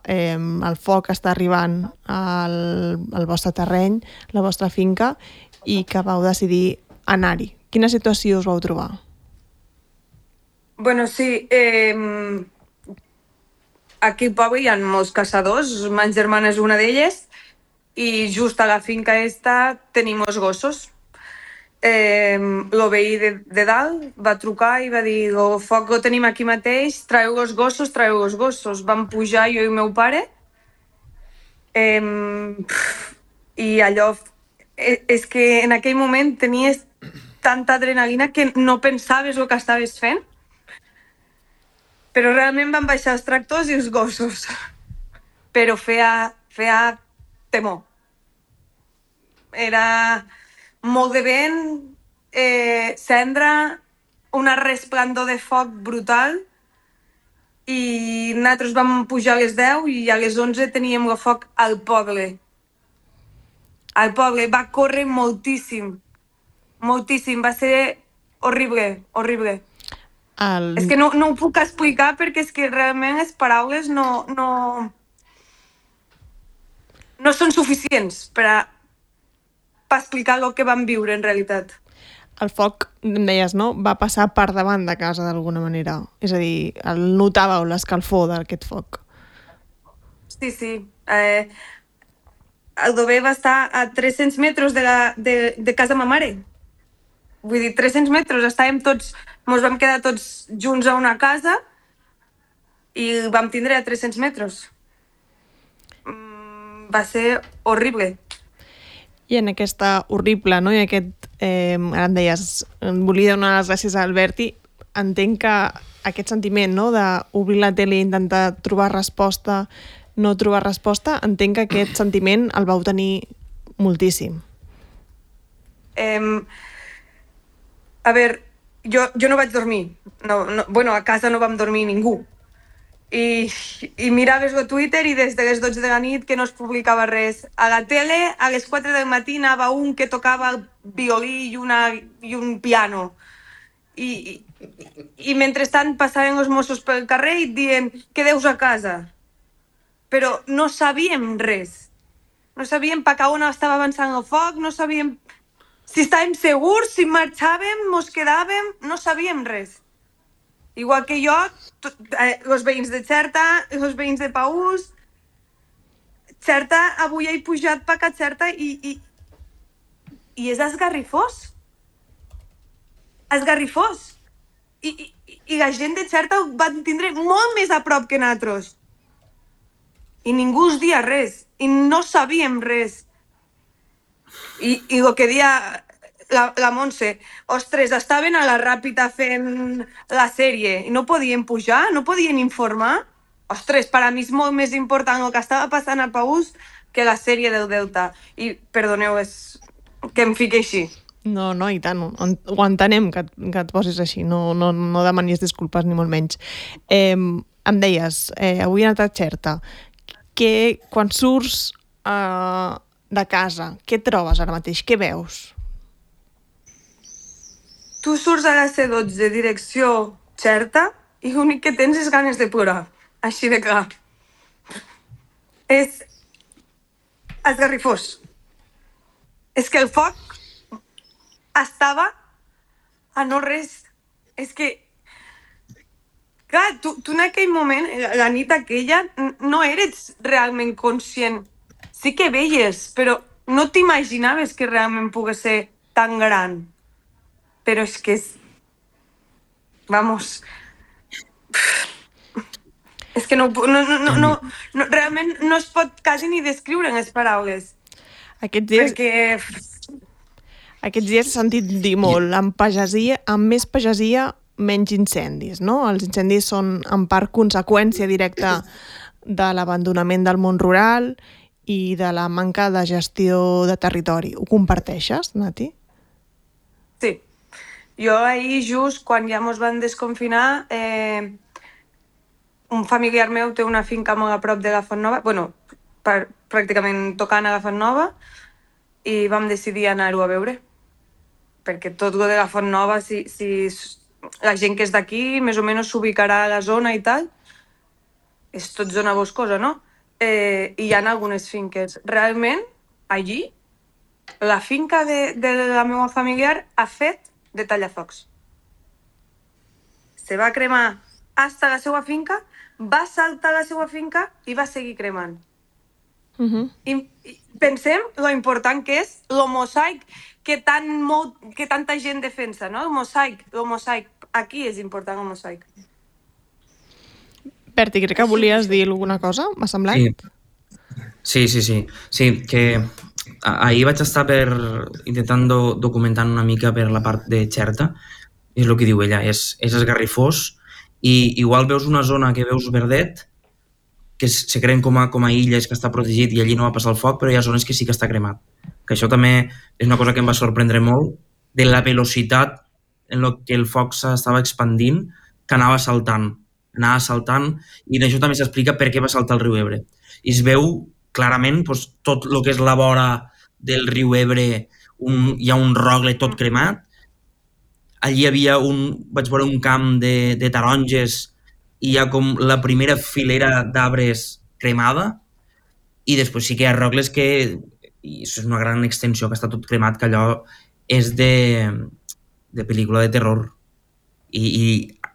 eh, el foc està arribant al, al vostre terreny, la vostra finca, i que vau decidir anar-hi. Quina situació us vau trobar? Bueno, sí, eh, aquí al poble hi ha molts caçadors, ma germana és una d'elles, i just a la finca esta tenim els gossos. Eh, el veí de, de dalt va trucar i va dir el foc ho tenim aquí mateix, traieu els gossos, traieu els gossos. Vam pujar jo i el meu pare eh, i allò eh, és que en aquell moment tenies tanta adrenalina que no pensaves el que estaves fent, però realment van baixar els tractors i els gossos, però feia, feia temor. Era molt de vent, eh, cendra, una resplendor de foc brutal i nosaltres vam pujar a les deu i a les onze teníem el foc al poble. Al poble, va córrer moltíssim, moltíssim, va ser horrible, horrible. El... És que no, no ho puc explicar perquè és que realment les paraules no, no, no són suficients per, a, per explicar el que vam viure en realitat. El foc, em deies, no? Va passar per davant de casa d'alguna manera. És a dir, el notàveu l'escalfor d'aquest foc. Sí, sí. Eh, el Dover va estar a tres-cents metres de, la, de, de casa ma mare. Vull dir, tres-cents metres. Estàvem tots, ens vam quedar tots junts a una casa i el vam tindre a tres-cents metres. Mm, va ser horrible. I en aquesta horrible, no? I aquest, eh, ara em deies, em volia donar les gràcies a Alberti, entenc que aquest sentiment, no?, d'obrir la tele i intentar trobar resposta, no trobar resposta, entenc que aquest sentiment el vau tenir moltíssim. Eh, a veure, jo, jo no vaig dormir. No, no, bueno, a casa no vam dormir ningú. I, i miraves el Twitter i des de les dotze de la nit que no es publicava res. A la tele, a les quatre del matí anava un que tocava el violí i, una, i un piano. I, i, i mentrestant passaven els Mossos pel carrer i et diuen que deus a casa. Però no sabíem res. No sabíem per on estava avançant el foc, no sabíem si estàvem segurs, si marxàvem, mos quedàvem, no sabíem res. Igual que jo, tot, eh, els veïns de Xerta, els veïns de Paús, Xerta, avui he pujat per a Xerta i, i, i és esgarrifós. Esgarrifós. I, i, I la gent de Xerta ho van tindre molt més a prop que nosaltres. I ningú us dia res. I no sabíem res. I, i el que dia la, la Montse, ostres, estaven a la Ràpita fent la sèrie i no podien pujar, no podien informar. Ostres, per a mi és molt més important el que estava passant a Paús que la sèrie del Delta. I, perdoneu, és que em fiqui així. No, no, i tant, ho entenem que, que et posis així, no, no, no demanis disculpes ni molt menys. Eh, em deies, eh, avui he anat a Xerta, que quan surts eh, de casa, què trobes ara mateix? Què veus? Tu surts a la C dotze direcció Xerta i l'únic que tens és ganes de plorar, així de clar. És esgarrifós. És que el foc estava a no res. És que, clar, tu, tu en aquell moment, la nit aquella, no eres realment conscient. Sí que veies, però no t'imaginaves que realment pogués ser tan gran. Però és que és... Vamos... És que no, no, no, no, no, realment no es pot quasi ni descriure en les paraules. Aquests dies... Perquè... Aquests dies he sentit dir molt, amb pagesia, amb més pagesia, menys incendis, no? Els incendis són en part conseqüència directa de l'abandonament del món rural i de la manca de gestió de territori. Ho comparteixes, Nati? Sí. Jo ahir, just quan ja mos van desconfinar, eh, un familiar meu té una finca molt a prop de la Font Nova, bueno, per, pràcticament tocant a la Font Nova, i vam decidir anar-ho a veure. Perquè tot lo de la Font Nova, si, si la gent que és d'aquí més o menys s'ubicarà a la zona i tal, és tot zona boscosa, no? Eh, I hi ha algunes finques. Realment, allí, la finca de, de la meva familiar ha fet de tallafocs. Se va cremar hasta la seva finca, va saltar a la seva finca i va seguir cremant. Uh-huh. I, I pensem lo important que és el mosaic que, tan molt, que tanta gent defensa, no? El mosaic, el mosaic. Aquí és important el mosaic. Berti, crec que volies dir alguna cosa, m'ha semblat? Sí, sí, sí. Sí, sí que ahir vaig estar per intentant do, documentant una mica per la part de Xerta, és el que diu ella, és, és esgarrifós, i igual veus una zona que veus verdet, que se creen com a, com a illes, que està protegit i allí no va passar el foc, però hi ha zones que sí que està cremat. Que això també és una cosa que em va sorprendre molt, de la velocitat en la que el foc s'estava expandint, que anava saltant, anava saltant, i d'això també s'explica per què va saltar el riu Ebre. I es veu clarament doncs, tot el que és la vora del riu Ebre, un, hi ha un rogle tot cremat, allí hi havia un, vaig veure un camp de, de taronges i hi ha com la primera filera d'arbres cremada i després sí que hi ha robles que, i això és una gran extensió que està tot cremat, que allò és de, de pel·lícula de terror, i, i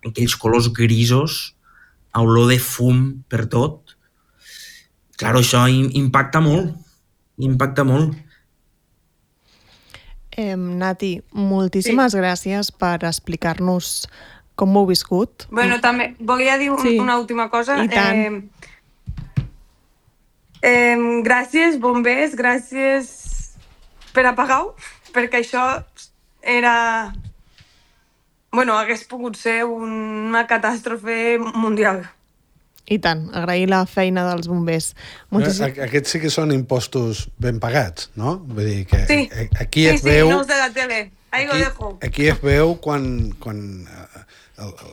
aquells colors grisos, olor de fum per tot. Claro, això impacta molt, impacta molt. Eh, Nati, moltíssimes sí. gràcies per explicar-nos com ho heu viscut. Bueno, també volia dir un, sí. una última cosa. I tant. Eh, eh, gràcies, bombers, gràcies per apagar-ho, perquè això era... Bueno, hagués pogut ser una catàstrofe mundial. I tant, agrair la feina dels bombers. Moltíssim... Aquests sí que són impostos ben pagats, no? Vull dir que sí. aquí sí, es veu... Sí, no els de la tele. Ahí aquí, lo dejo. Aquí es veu quan, quan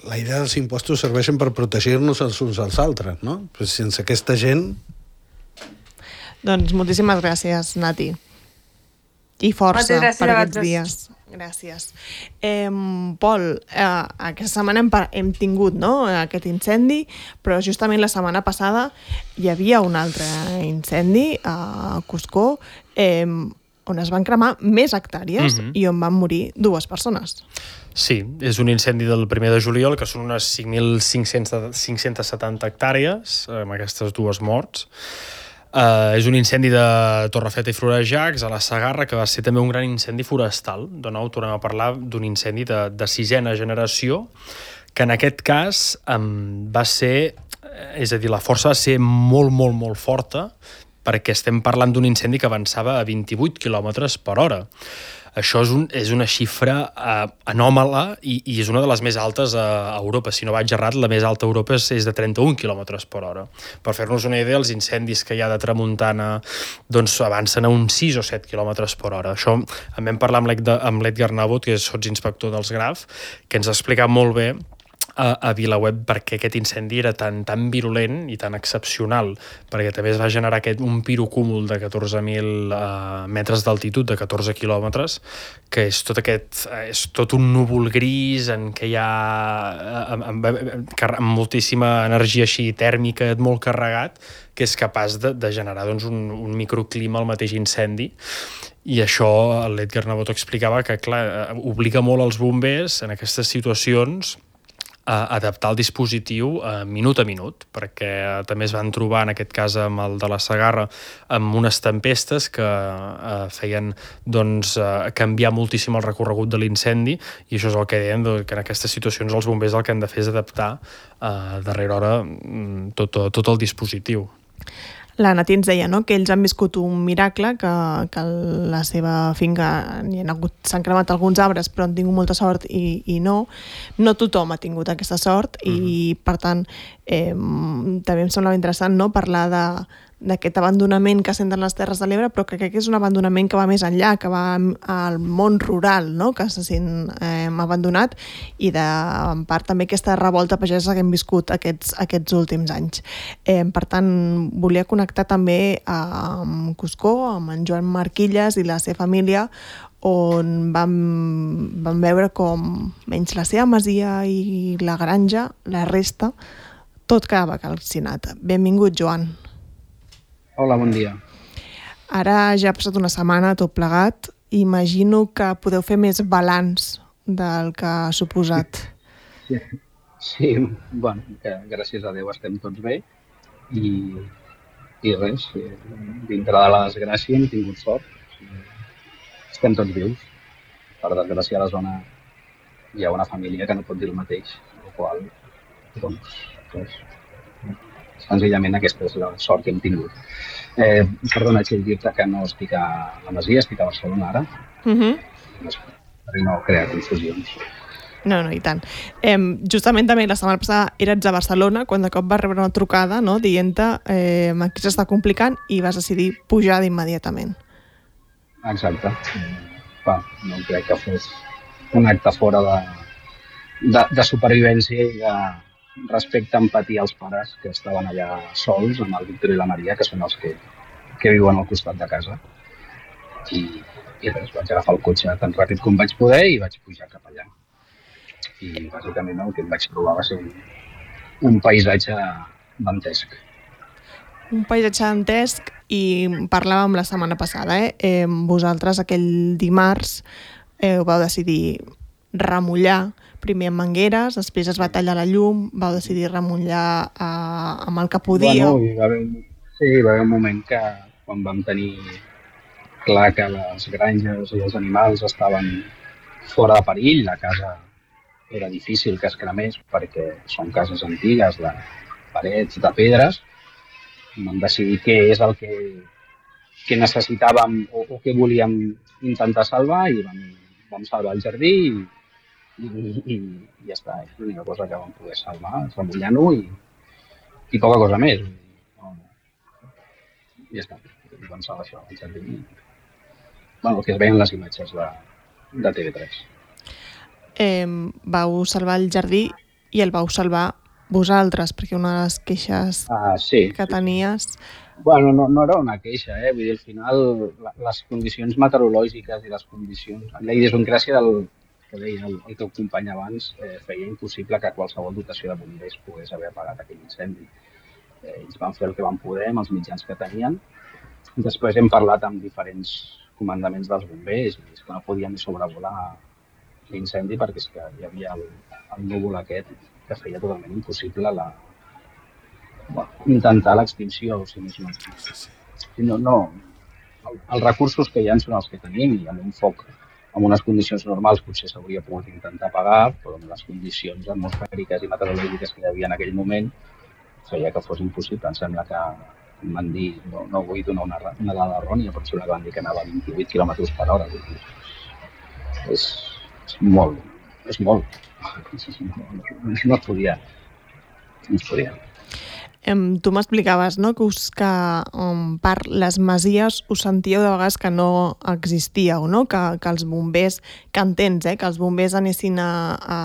la idea dels impostos serveixen per protegir-nos els uns als altres, no? Però sense aquesta gent... Doncs moltíssimes gràcies, Nati. I força gràcies per aquests dies. Gràcies. Eh, Pol, eh, aquesta setmana hem, hem tingut no, aquest incendi, però justament la setmana passada hi havia un altre incendi a Cuscó eh, on es van cremar més hectàrees mm-hmm. i on van morir dues persones. Sí, és un incendi del primer de juliol, que són unes cinc mil cinc-cents setanta hectàrees, amb aquestes dues morts. Uh, és un incendi de Torrefeta i Florejacs, a la Segarra, que va ser també un gran incendi forestal. De nou, tornem a parlar d'un incendi de, de sisena generació, que en aquest cas um, va ser, és a dir, la força va ser molt, molt, molt forta, perquè estem parlant d'un incendi que avançava a vint-i-vuit quilòmetres per hora. Això és, un, és una xifra uh, anòmala i, i és una de les més altes a, a Europa. Si no vaig errat, la més alta a Europa és, és de trenta-un quilòmetres per hora. Per fer-nos una idea, els incendis que hi ha de tramuntana doncs, avancen a uns sis o set quilòmetres per hora. Això en vam parlar amb l'Edgar Nabot, que és sotsinspector dels Graf, que ens ha explicat molt bé a, a VilaWeb perquè aquest incendi era tan, tan virulent i tan excepcional, perquè també es va generar aquest, un pirocúmul de catorze mil uh, metres d'altitud, de catorze quilòmetres, que és tot aquest, és tot un núvol gris en què hi ha amb, amb, amb, amb moltíssima energia així tèrmica, molt carregat, que és capaç de, de generar doncs, un, un microclima al mateix incendi. I això l'Edgar Nabot explicava que clar, obliga molt els bombers en aquestes situacions a adaptar el dispositiu a minut a minut, perquè també es van trobar, en aquest cas amb el de la Segarra, amb unes tempestes que eh, feien doncs, eh, canviar moltíssim el recorregut de l'incendi, i això és el que deien, que en aquestes situacions els bombers el que han de fer és adaptar eh, a darrera hora tot, tot el dispositiu. La Nati ens deia no? que ells han viscut un miracle, que, que la seva finca s'han cremat alguns arbres però han tingut molta sort i, i no. No tothom ha tingut aquesta sort i mm-hmm. per tant eh, també em semblava interessant no? parlar de d'aquest abandonament que senten les Terres de l'Ebre, però que crec que és un abandonament que va més enllà, que va al món rural, no? que se sent eh, abandonat, i de, en part també aquesta revolta pagesa que hem viscut aquests, aquests últims anys. Eh, per tant, volia connectar també amb Cuscó, amb en Joan Marquilles i la seva família, on vam, vam veure com menys la seva masia i la granja, la resta, tot quedava calcinat. Benvingut, Joan. Hola, bon dia. Ara ja ha passat una setmana tot plegat. Imagino que podeu fer més balanç del que ha suposat. Sí, sí bueno, que gràcies a Déu estem tots bé i, i res, dintre de la desgràcia hem tingut sort. Estem tots vius. Per desgràcia a la zona hi ha una família que no pot dir el mateix, el qual, doncs, res, senzillament aquesta és la sort que hem tingut. Eh, perdona, Txell, dir-te que no estic a la Masia, estic a Barcelona ara. Uh-huh. Per no crear confusions. No, no, i tant. Eh, justament també la setmana passada eres a Barcelona, quan de cop vas rebre una trucada no, dient-te eh, aquí s'està complicant i vas decidir pujar d'immediatament. Exacte. Va, no crec que fos un acte fora de, de, de supervivència i de respecte, empatia als pares que estaven allà sols amb el Víctor i la Maria, que són els que, que viuen al costat de casa. I, i res, vaig agafar el cotxe tan ràpid com vaig poder i vaig pujar cap allà. I bàsicament el que em vaig trobar va ser un, un paisatge dantesc. Un paisatge dantesc, i parlàvem la setmana passada, eh? eh vosaltres aquell dimarts eh, vau decidir remullar, primer amb mangueres, després es va tallar la llum, vau decidir remullar eh, amb el que podíeu. Bueno, hi va haver, sí, hi va haver un moment que quan vam tenir clar que les granges i els animals estaven fora de perill, la casa era difícil que es cremés perquè són cases antigues de parets de pedres. Vam decidir què és el que, que necessitàvem o, o què volíem intentar salvar i vam, vam salvar el jardí i, i, i, i ja està. És l'única cosa que vam poder salvar, remullant-ho i, i poca cosa més. No, ja està. Vam salvar això, el jardí. Bueno, el que es veien les imatges de, de T V tres. Eh, vau salvar el jardí i el vau salvar vosaltres, perquè una de les queixes ah, sí, que tenies... Bueno, no, no era una queixa, eh? Vull dir, al final, la, les condicions meteorològiques i les condicions... La idiosincràsia del que deia el, el teu company abans eh, feia impossible que qualsevol dotació de bombers pogués haver apagat aquell incendi. Eh, ells van fer el que van poder amb els mitjans que tenien. Després hem parlat amb diferents comandaments dels bombers i és que no podien sobrevolar l'incendi perquè és que hi havia el, el núvol aquest que feia totalment impossible la, bueno, intentar l'extinció, o sigui, no, no, no, el, els recursos que hi ha són els que tenim i amb un foc, en unes condicions normals potser s'hauria pogut intentar apagar, però amb les condicions atmosfèriques i meteorològiques que hi havia en aquell moment feia que fos impossible. Em sembla que em van dir, no, no vull donar una, una dada errònia, però em sembla que van dir que anava a vint-i-vuit quilòmetres per hora. És, és molt, és molt. No, no es podia. No es podia. Um, tu m'explicaves, no?, que, us, que um, per les masies us sentíeu de vegades que no existíeu, no?, que, que els bombers, que entens, eh?, que els bombers anessin a, a,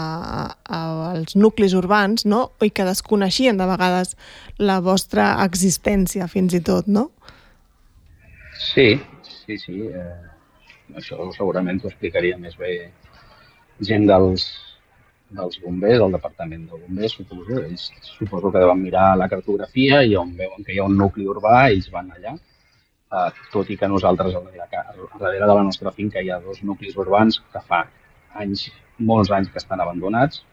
a, als nuclis urbans, no?, i que desconeixien de vegades la vostra existència, fins i tot, no? Sí, sí, sí. Eh, això segurament t'ho explicaria més bé gent dels, dels bombers, del departament de bombers, suposo. Ells suposo que deuen mirar la cartografia i on veuen que hi ha un nucli urbà, ells van allà. Uh, tot i que nosaltres, a darrere de la nostra finca, hi ha dos nuclis urbans que fa anys, molts anys que estan abandonats,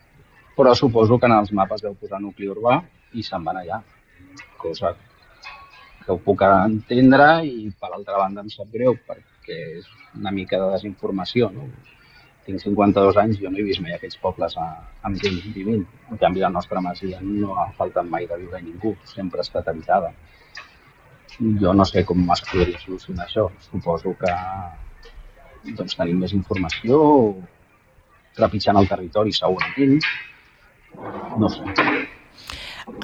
però suposo que en els mapes deu posar nucli urbà i se'n van allà. Cosa que ho puc entendre i, per altra banda, em sap greu perquè és una mica de desinformació, no? Tinc cinquanta-dos anys, jo no he vist mai aquests pobles a, amb gent vivint. En canvi, la nostra masia no ha faltat mai de viure ningú, sempre ha estat habitada. Jo no sé com es podria solucionar això. Suposo que doncs, tenim més informació, trepitjant el territori segurament. No sé.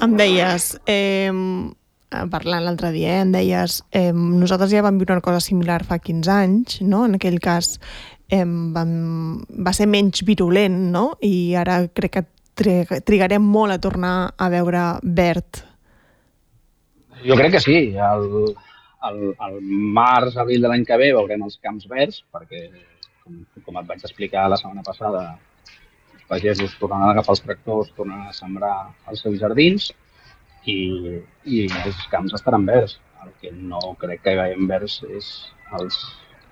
Em deies, eh, parlant l'altre dia, eh, em deies, eh, nosaltres ja vam viure una cosa similar fa quinze anys, no? En aquell cas eh, vam, va ser menys virulent, no? I ara crec que trigarem molt a tornar a veure verd. Jo crec que sí. El, el, el març, abril de l'any que ve veurem els camps verds, perquè, com, com et vaig explicar la setmana passada, els pagesos tornaran a agafar els tractors, tornaran a sembrar els seus jardins i, i els camps estaran verds. El que no crec que hi veiem verds és els,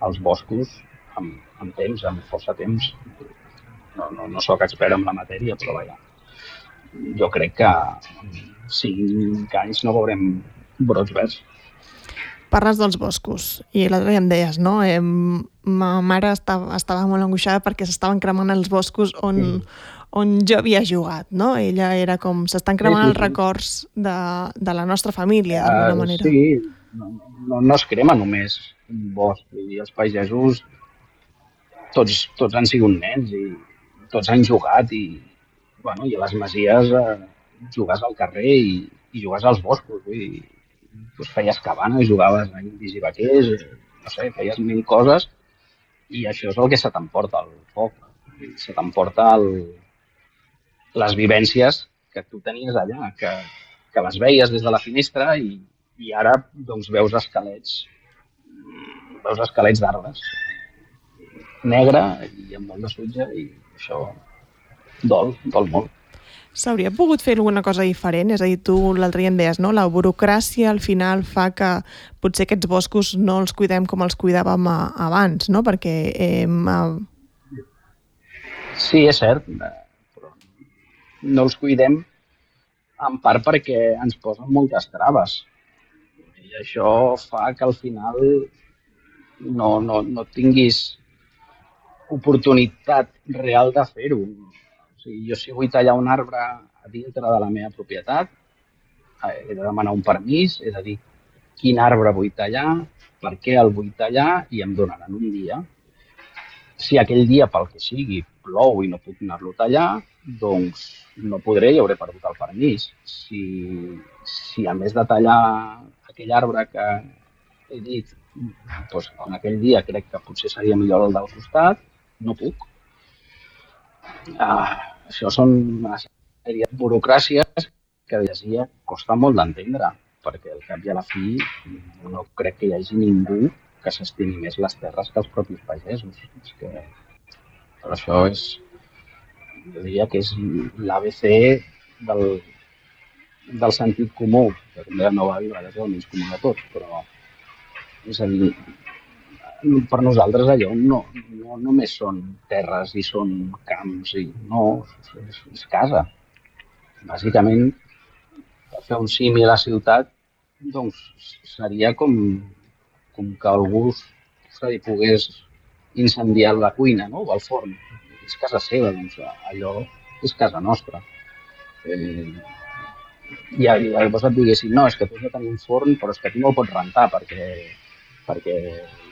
els boscos amb, amb temps, amb força temps. No, no, no soc expert en la matèria, però vaja, jo crec que en cinc anys no veurem brots verds. Parles dels boscos, i l'altre dia em deies, no? Eh, ma mare estava, estava molt angoixada perquè s'estaven cremant els boscos on, mm. on jo havia jugat, no? Ella era com, s'estan cremant sí, sí, sí. els records de, de la nostra família, d'alguna uh, manera. Sí, no, no, no es crema només un bosc, i els pagesos tots, tots han sigut nens i tots han jugat i, bueno, i a les masies eh, jugues al carrer i, i jugues als boscos, vull dir, doncs feies cabanes, jugaves a indis i vaquers, no sé, feies mil coses i això és el que se t'emporta el foc, se t'emporta el, les vivències que tu tenies allà, que, que les veies des de la finestra i, i ara doncs, veus esquelets, veus esquelets d'arbres, negre i amb molt de sutge i això dol, dol molt. S'hauria pogut fer alguna cosa diferent? És a dir, tu l'altre dia em deies, no? La burocràcia al final fa que potser aquests boscos no els cuidem com els cuidàvem a, abans, no? Perquè... Eh, a... Sí, és cert, però no els cuidem en part perquè ens posen moltes traves. I això fa que al final no, no, no tinguis oportunitat real de fer-ho. O sigui, jo si vull tallar un arbre a dintre de la meva propietat, he de demanar un permís, he de dir quin arbre vull tallar, per què el vull tallar i em donaran un dia. Si aquell dia, pel que sigui, plou i no puc anar-lo a tallar, doncs no podré i hauré perdut el permís. Si, si a més de tallar aquell arbre que he dit, doncs en aquell dia crec que potser seria millor el del costat, no puc. Uh, això són una sèrie de burocràcies que dia costa molt d'entendre, perquè al cap i a la fi no crec que hi hagi ningú que s'estimi més les terres que els propis pagesos. És que, però això és, jo diria que és l'A B C del, del sentit comú, que com deia el meu avi, és el menys comú de tots, però és a dir, per nosaltres allò no, no només són terres i són camps, i no, és, és casa. Bàsicament, fer un símil a la ciutat doncs, seria com, com que algú se li pogués incendiar la cuina, no? O el forn. És casa seva, doncs allò és casa nostra. Eh, I llavors et diguessin, no, és que tu has de tenir un forn, però és que tu no el pots rentar perquè, perquè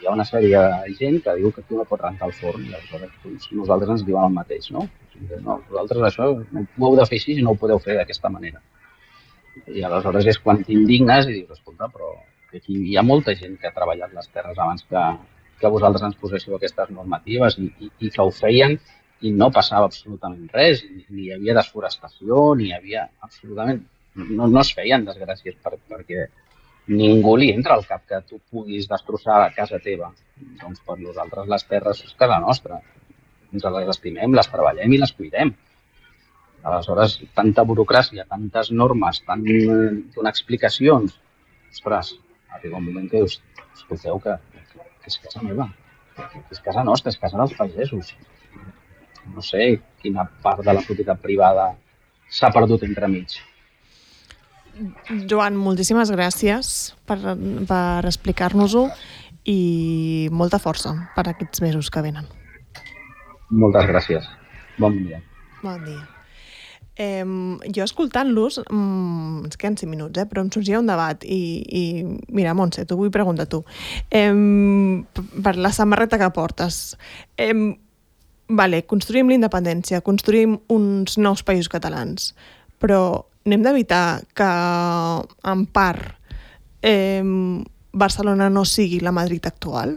hi ha una sèrie de gent que diu que tu no pots rentar el forn i aleshores doncs, nosaltres ens diuen el mateix, no? No, vosaltres això no ho heu de fer així i no ho podeu fer d'aquesta manera. I aleshores és quan t'indignes i dius, escolta, però aquí hi ha molta gent que ha treballat les terres abans que, que vosaltres ens poséssiu aquestes normatives i, i, i que ho feien i no passava absolutament res, ni, ni hi havia desforestació, ni hi havia absolutament... No, no es feien desgràcies per, perquè ningú li entra al cap que tu puguis destrossar a casa teva. Doncs per nosaltres les terres és casa nostra. Ens les estimem, les treballem i les cuidem. Aleshores, tanta burocràcia, tantes normes, tant donar explicacions. Ostres, arriba un moment que dius, escolteu que, que és casa meva, que és casa nostra, és casa dels pagesos. No sé quina part de la propietat privada s'ha perdut entremig. Joan, moltíssimes gràcies per, per explicar-nos-ho i molta força per aquests mesos que venen. Moltes gràcies. Bon dia. Bon dia. Eh, jo escoltant-los, mm, ens queden cinc minuts, eh, però em sorgia un debat i, i mira, Montse, t'ho vull preguntar a tu. Eh, per la samarreta que portes, eh, vale, construïm la independència, construïm uns nous països catalans, però n'hem d'evitar que, en part, eh, Barcelona no sigui la Madrid actual?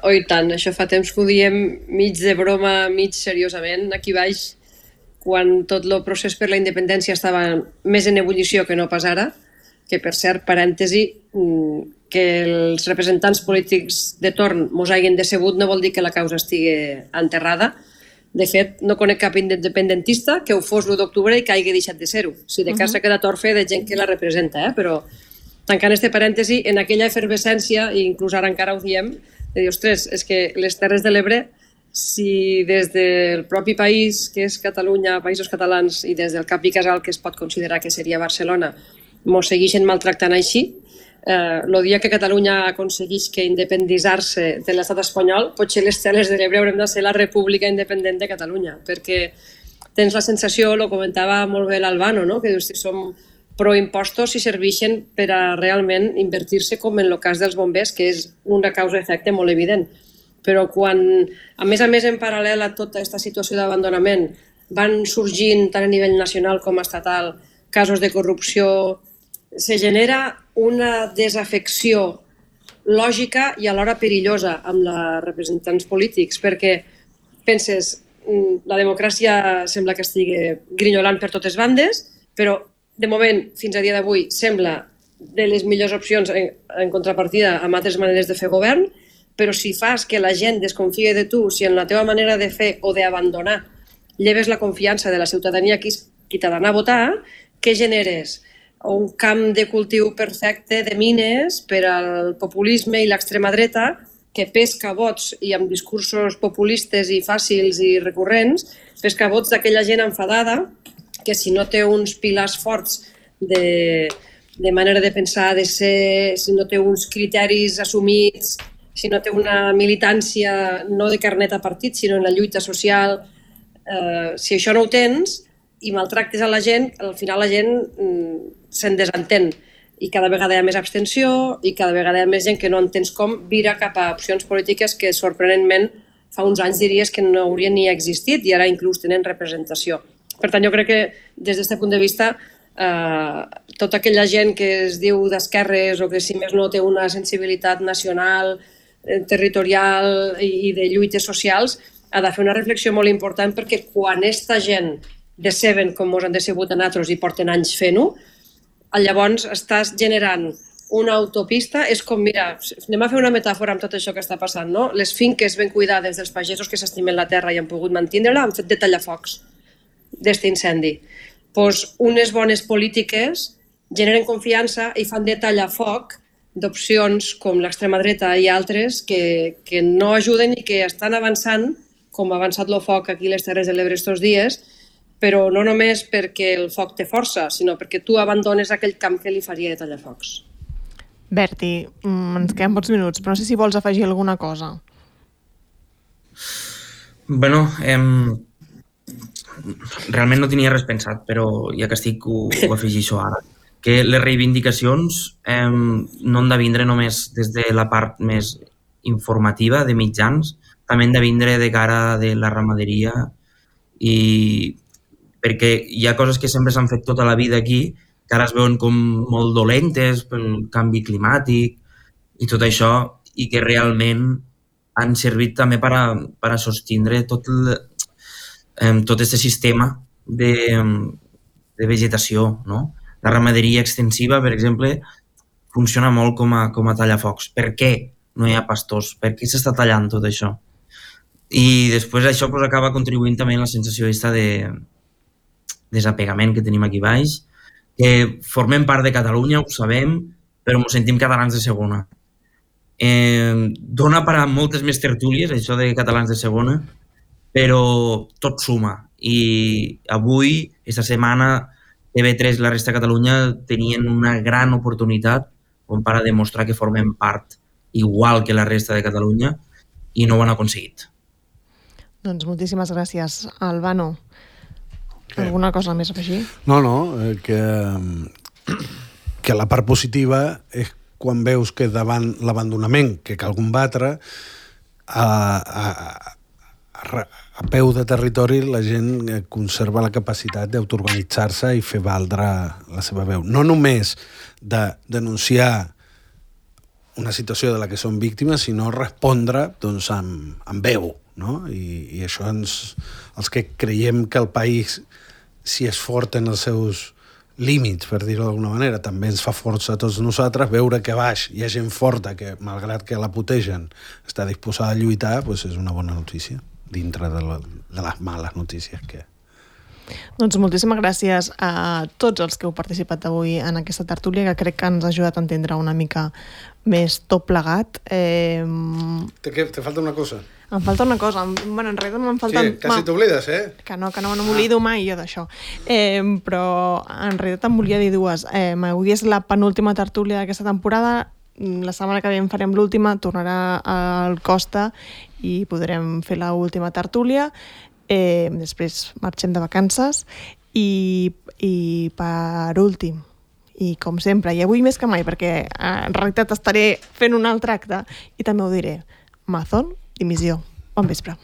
Oh, i tant, això fa temps que ho diem mig de broma, mig seriosament, aquí baix, quan tot el procés per la independència estava més en ebullició que no pas ara, que per cert, parèntesi, que els representants polítics de torn mos hagin decebut no vol dir que la causa estigui enterrada. De fet, no conec cap independentista que ho fos l'u d'octubre i que hagi deixat de ser-ho. Si de cas s'ha quedat orfe de gent que la representa, eh? Però tancant este parèntesi, en aquella efervescència, i inclús ara encara ho diem, de dir, ostres, és que les Terres de l'Ebre, si des del propi país, que és Catalunya, Països Catalans, i des del cap i casal, que es pot considerar que seria Barcelona, mos segueixen maltractant així, eh, el dia que Catalunya aconsegueix que independitzar-se de l'estat espanyol, potser les Terres de l'Ebre haurem de ser la república independent de Catalunya, perquè tens la sensació, lo comentava molt bé l'Albano, no? Que dius que som proimpostos i serveixen per a realment invertir-se com en el cas dels bombers, que és una causa-efecte molt evident. Però quan, a més a més, en paral·lel a tota aquesta situació d'abandonament, van sorgint tant a nivell nacional com estatal casos de corrupció, se genera una desafecció lògica i alhora perillosa amb els representants polítics, perquè penses, la democràcia sembla que estigui grinyolant per totes bandes, però de moment, fins a dia d'avui, sembla de les millors opcions en, en contrapartida amb altres maneres de fer govern, però si fas que la gent desconfie de tu, si en la teva manera de fer o d'abandonar lleves la confiança de la ciutadania qui, qui t'ha d'anar a votar, què generes? Un camp de cultiu perfecte de mines per al populisme i l'extrema dreta que pesca vots i amb discursos populistes i fàcils i recurrents, pesca vots d'aquella gent enfadada que si no té uns pilars forts de, de manera de pensar, de ser, si no té uns criteris assumits, si no té una militància no de carnet a partit, sinó en la lluita social, eh, si això no ho tens i maltractes a la gent, al final la gent mm, se'n desentén i cada vegada hi ha més abstenció i cada vegada hi ha més gent que no entens com vira cap a opcions polítiques que sorprenentment fa uns anys diries que no haurien ni existit i ara inclús tenen representació. Per tant, jo crec que des d'aquest punt de vista eh, tota aquella gent que es diu d'esquerres o que si més no té una sensibilitat nacional, eh, territorial i, i de lluites socials ha de fer una reflexió molt important perquè quan esta gent deceben com mos han decebut a nosaltres i porten anys fent-ho, llavors estàs generant una autopista, és com, mira, anem a fer una metàfora amb tot això que està passant, no? Les finques ben cuidades dels pagesos que s'estimen la terra i han pogut mantenir-la han fet de tallafocs d'aquest incendi. Pues unes bones polítiques generen confiança i fan de tallafoc d'opcions com l'extrema dreta i altres que, que no ajuden i que estan avançant, com ha avançat el foc aquí a les Terres de l'Ebre estos dies, però no només perquè el foc té força, sinó perquè tu abandones aquell camp que li faria de tallafocs. Berti, ens queden pocs minuts, però no sé si vols afegir alguna cosa. Bueno, eh, realment no tenia res pensat, però ja que estic ho, ho afegeixo ara. Que les reivindicacions eh, no han de vindre només des de la part més informativa de mitjans, també han de vindre de cara de la ramaderia i perquè hi ha coses que sempre s'han fet tota la vida aquí que ara es veuen com molt dolentes pel canvi climàtic i tot això, i que realment han servit també per a, per a sostindre tot el, eh, tot aquest sistema de, de vegetació, no? La ramaderia extensiva, per exemple, funciona molt com a, com a tallafocs. Per què no hi ha pastors? Per què s'està tallant tot això? I després això pues, acaba contribuint també a la sensació de desapegament que tenim aquí baix, que formem part de Catalunya, ho sabem, però ens sentim catalans de segona. Eh, dona per a moltes més tertúlies, això de catalans de segona, però tot suma. I avui, aquesta setmana, T V tres i la resta de Catalunya tenien una gran oportunitat com per a demostrar que formem part igual que la resta de Catalunya i no ho han aconseguit. Doncs moltíssimes gràcies, Albano. Alguna cosa més a afegir? No, no, eh, que, que la part positiva és quan veus que davant l'abandonament que cal combatre a, a, a, a peu de territori la gent conserva la capacitat d'autoorganitzar-se i fer valdre la seva veu. No només de denunciar una situació de la que són víctimes, sinó respondre doncs, amb, amb veu, no? I, i això ens, els que creiem que el país si és fort en els seus límits, per dir-ho d'alguna manera, també ens fa força a tots nosaltres, veure que baix hi ha gent forta que, malgrat que la putegen, està disposada a lluitar, doncs és una bona notícia, dintre de, la, de les males notícies que... Doncs moltíssimes gràcies a tots els que heu participat avui en aquesta tertúlia, que crec que ens ha ajudat a entendre una mica més tot plegat. Eh... Te, te falta una cosa? Em falta una cosa. Bueno, en realitat me'n falten... Sí, quasi t'oblides, eh? Que no, que no, no m'oblido ah. mai jo d'això. Eh, però en realitat em volia dir dues. Eh, avui és la penúltima tertúlia d'aquesta temporada. La setmana que ve en farem l'última, tornarà al Costa i podrem fer l'última tertúlia. Eh, després marxem de vacances i, i per últim, i com sempre, i avui més que mai, perquè en realitat estaré fent un altre acte i també ho diré, Amazon, dimissió. Bon vespre.